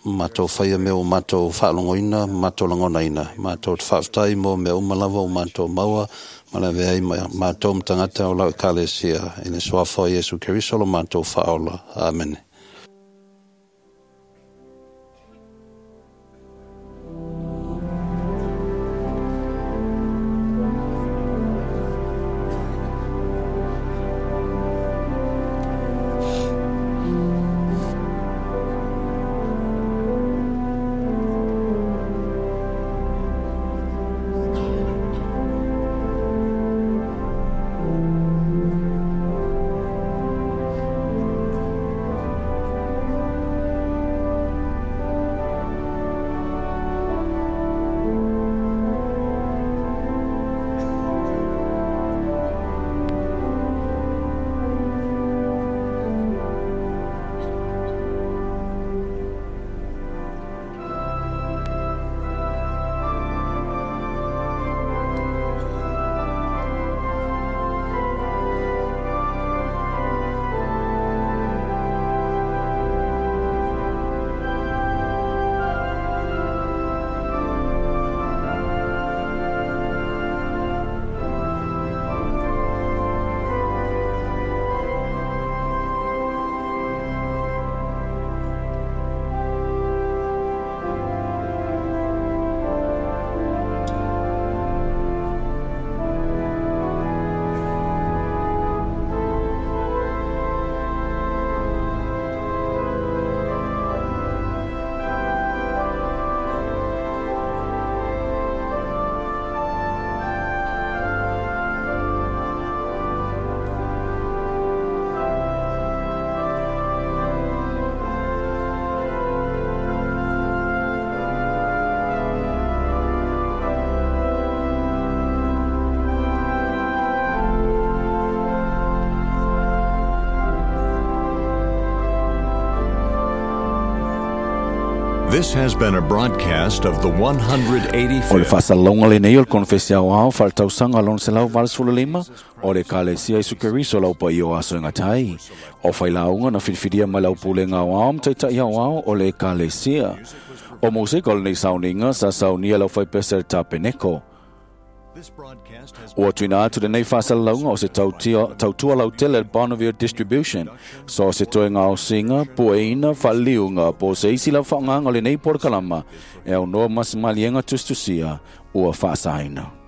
Mātou whaia mea o mātou whaalongoina, mātou langonaina. Mātou te whaaftai mō mea umalawa o mātou maua, ma le veai mātou mtangata o lau kalesia. I le soafa o Iesu Keriso lo mātou whaola. Amen. Alleluia. This has been a broadcast of the O le 185th faasalalauga lenei o le konofesi aoao faaletausaga lona 185 o le Ekalesia Iesu Keriso lau paia o aso e gatai. O failauga na filifilia mai lau pulega aoao ma taita'i aoao o le Ekalesia. O musika o lenei sauniga sa saunia lau faipese le tapeneko. Ua tuuina atu lenei faasalalauga o se tautua lautele le Bonneville Distribution. So se toe gaosiga, pueina, faaliliuga, po o se isi lava faaaogaga o lenei polokalama e aunoa ma se maliega tusitusia ua faasaina.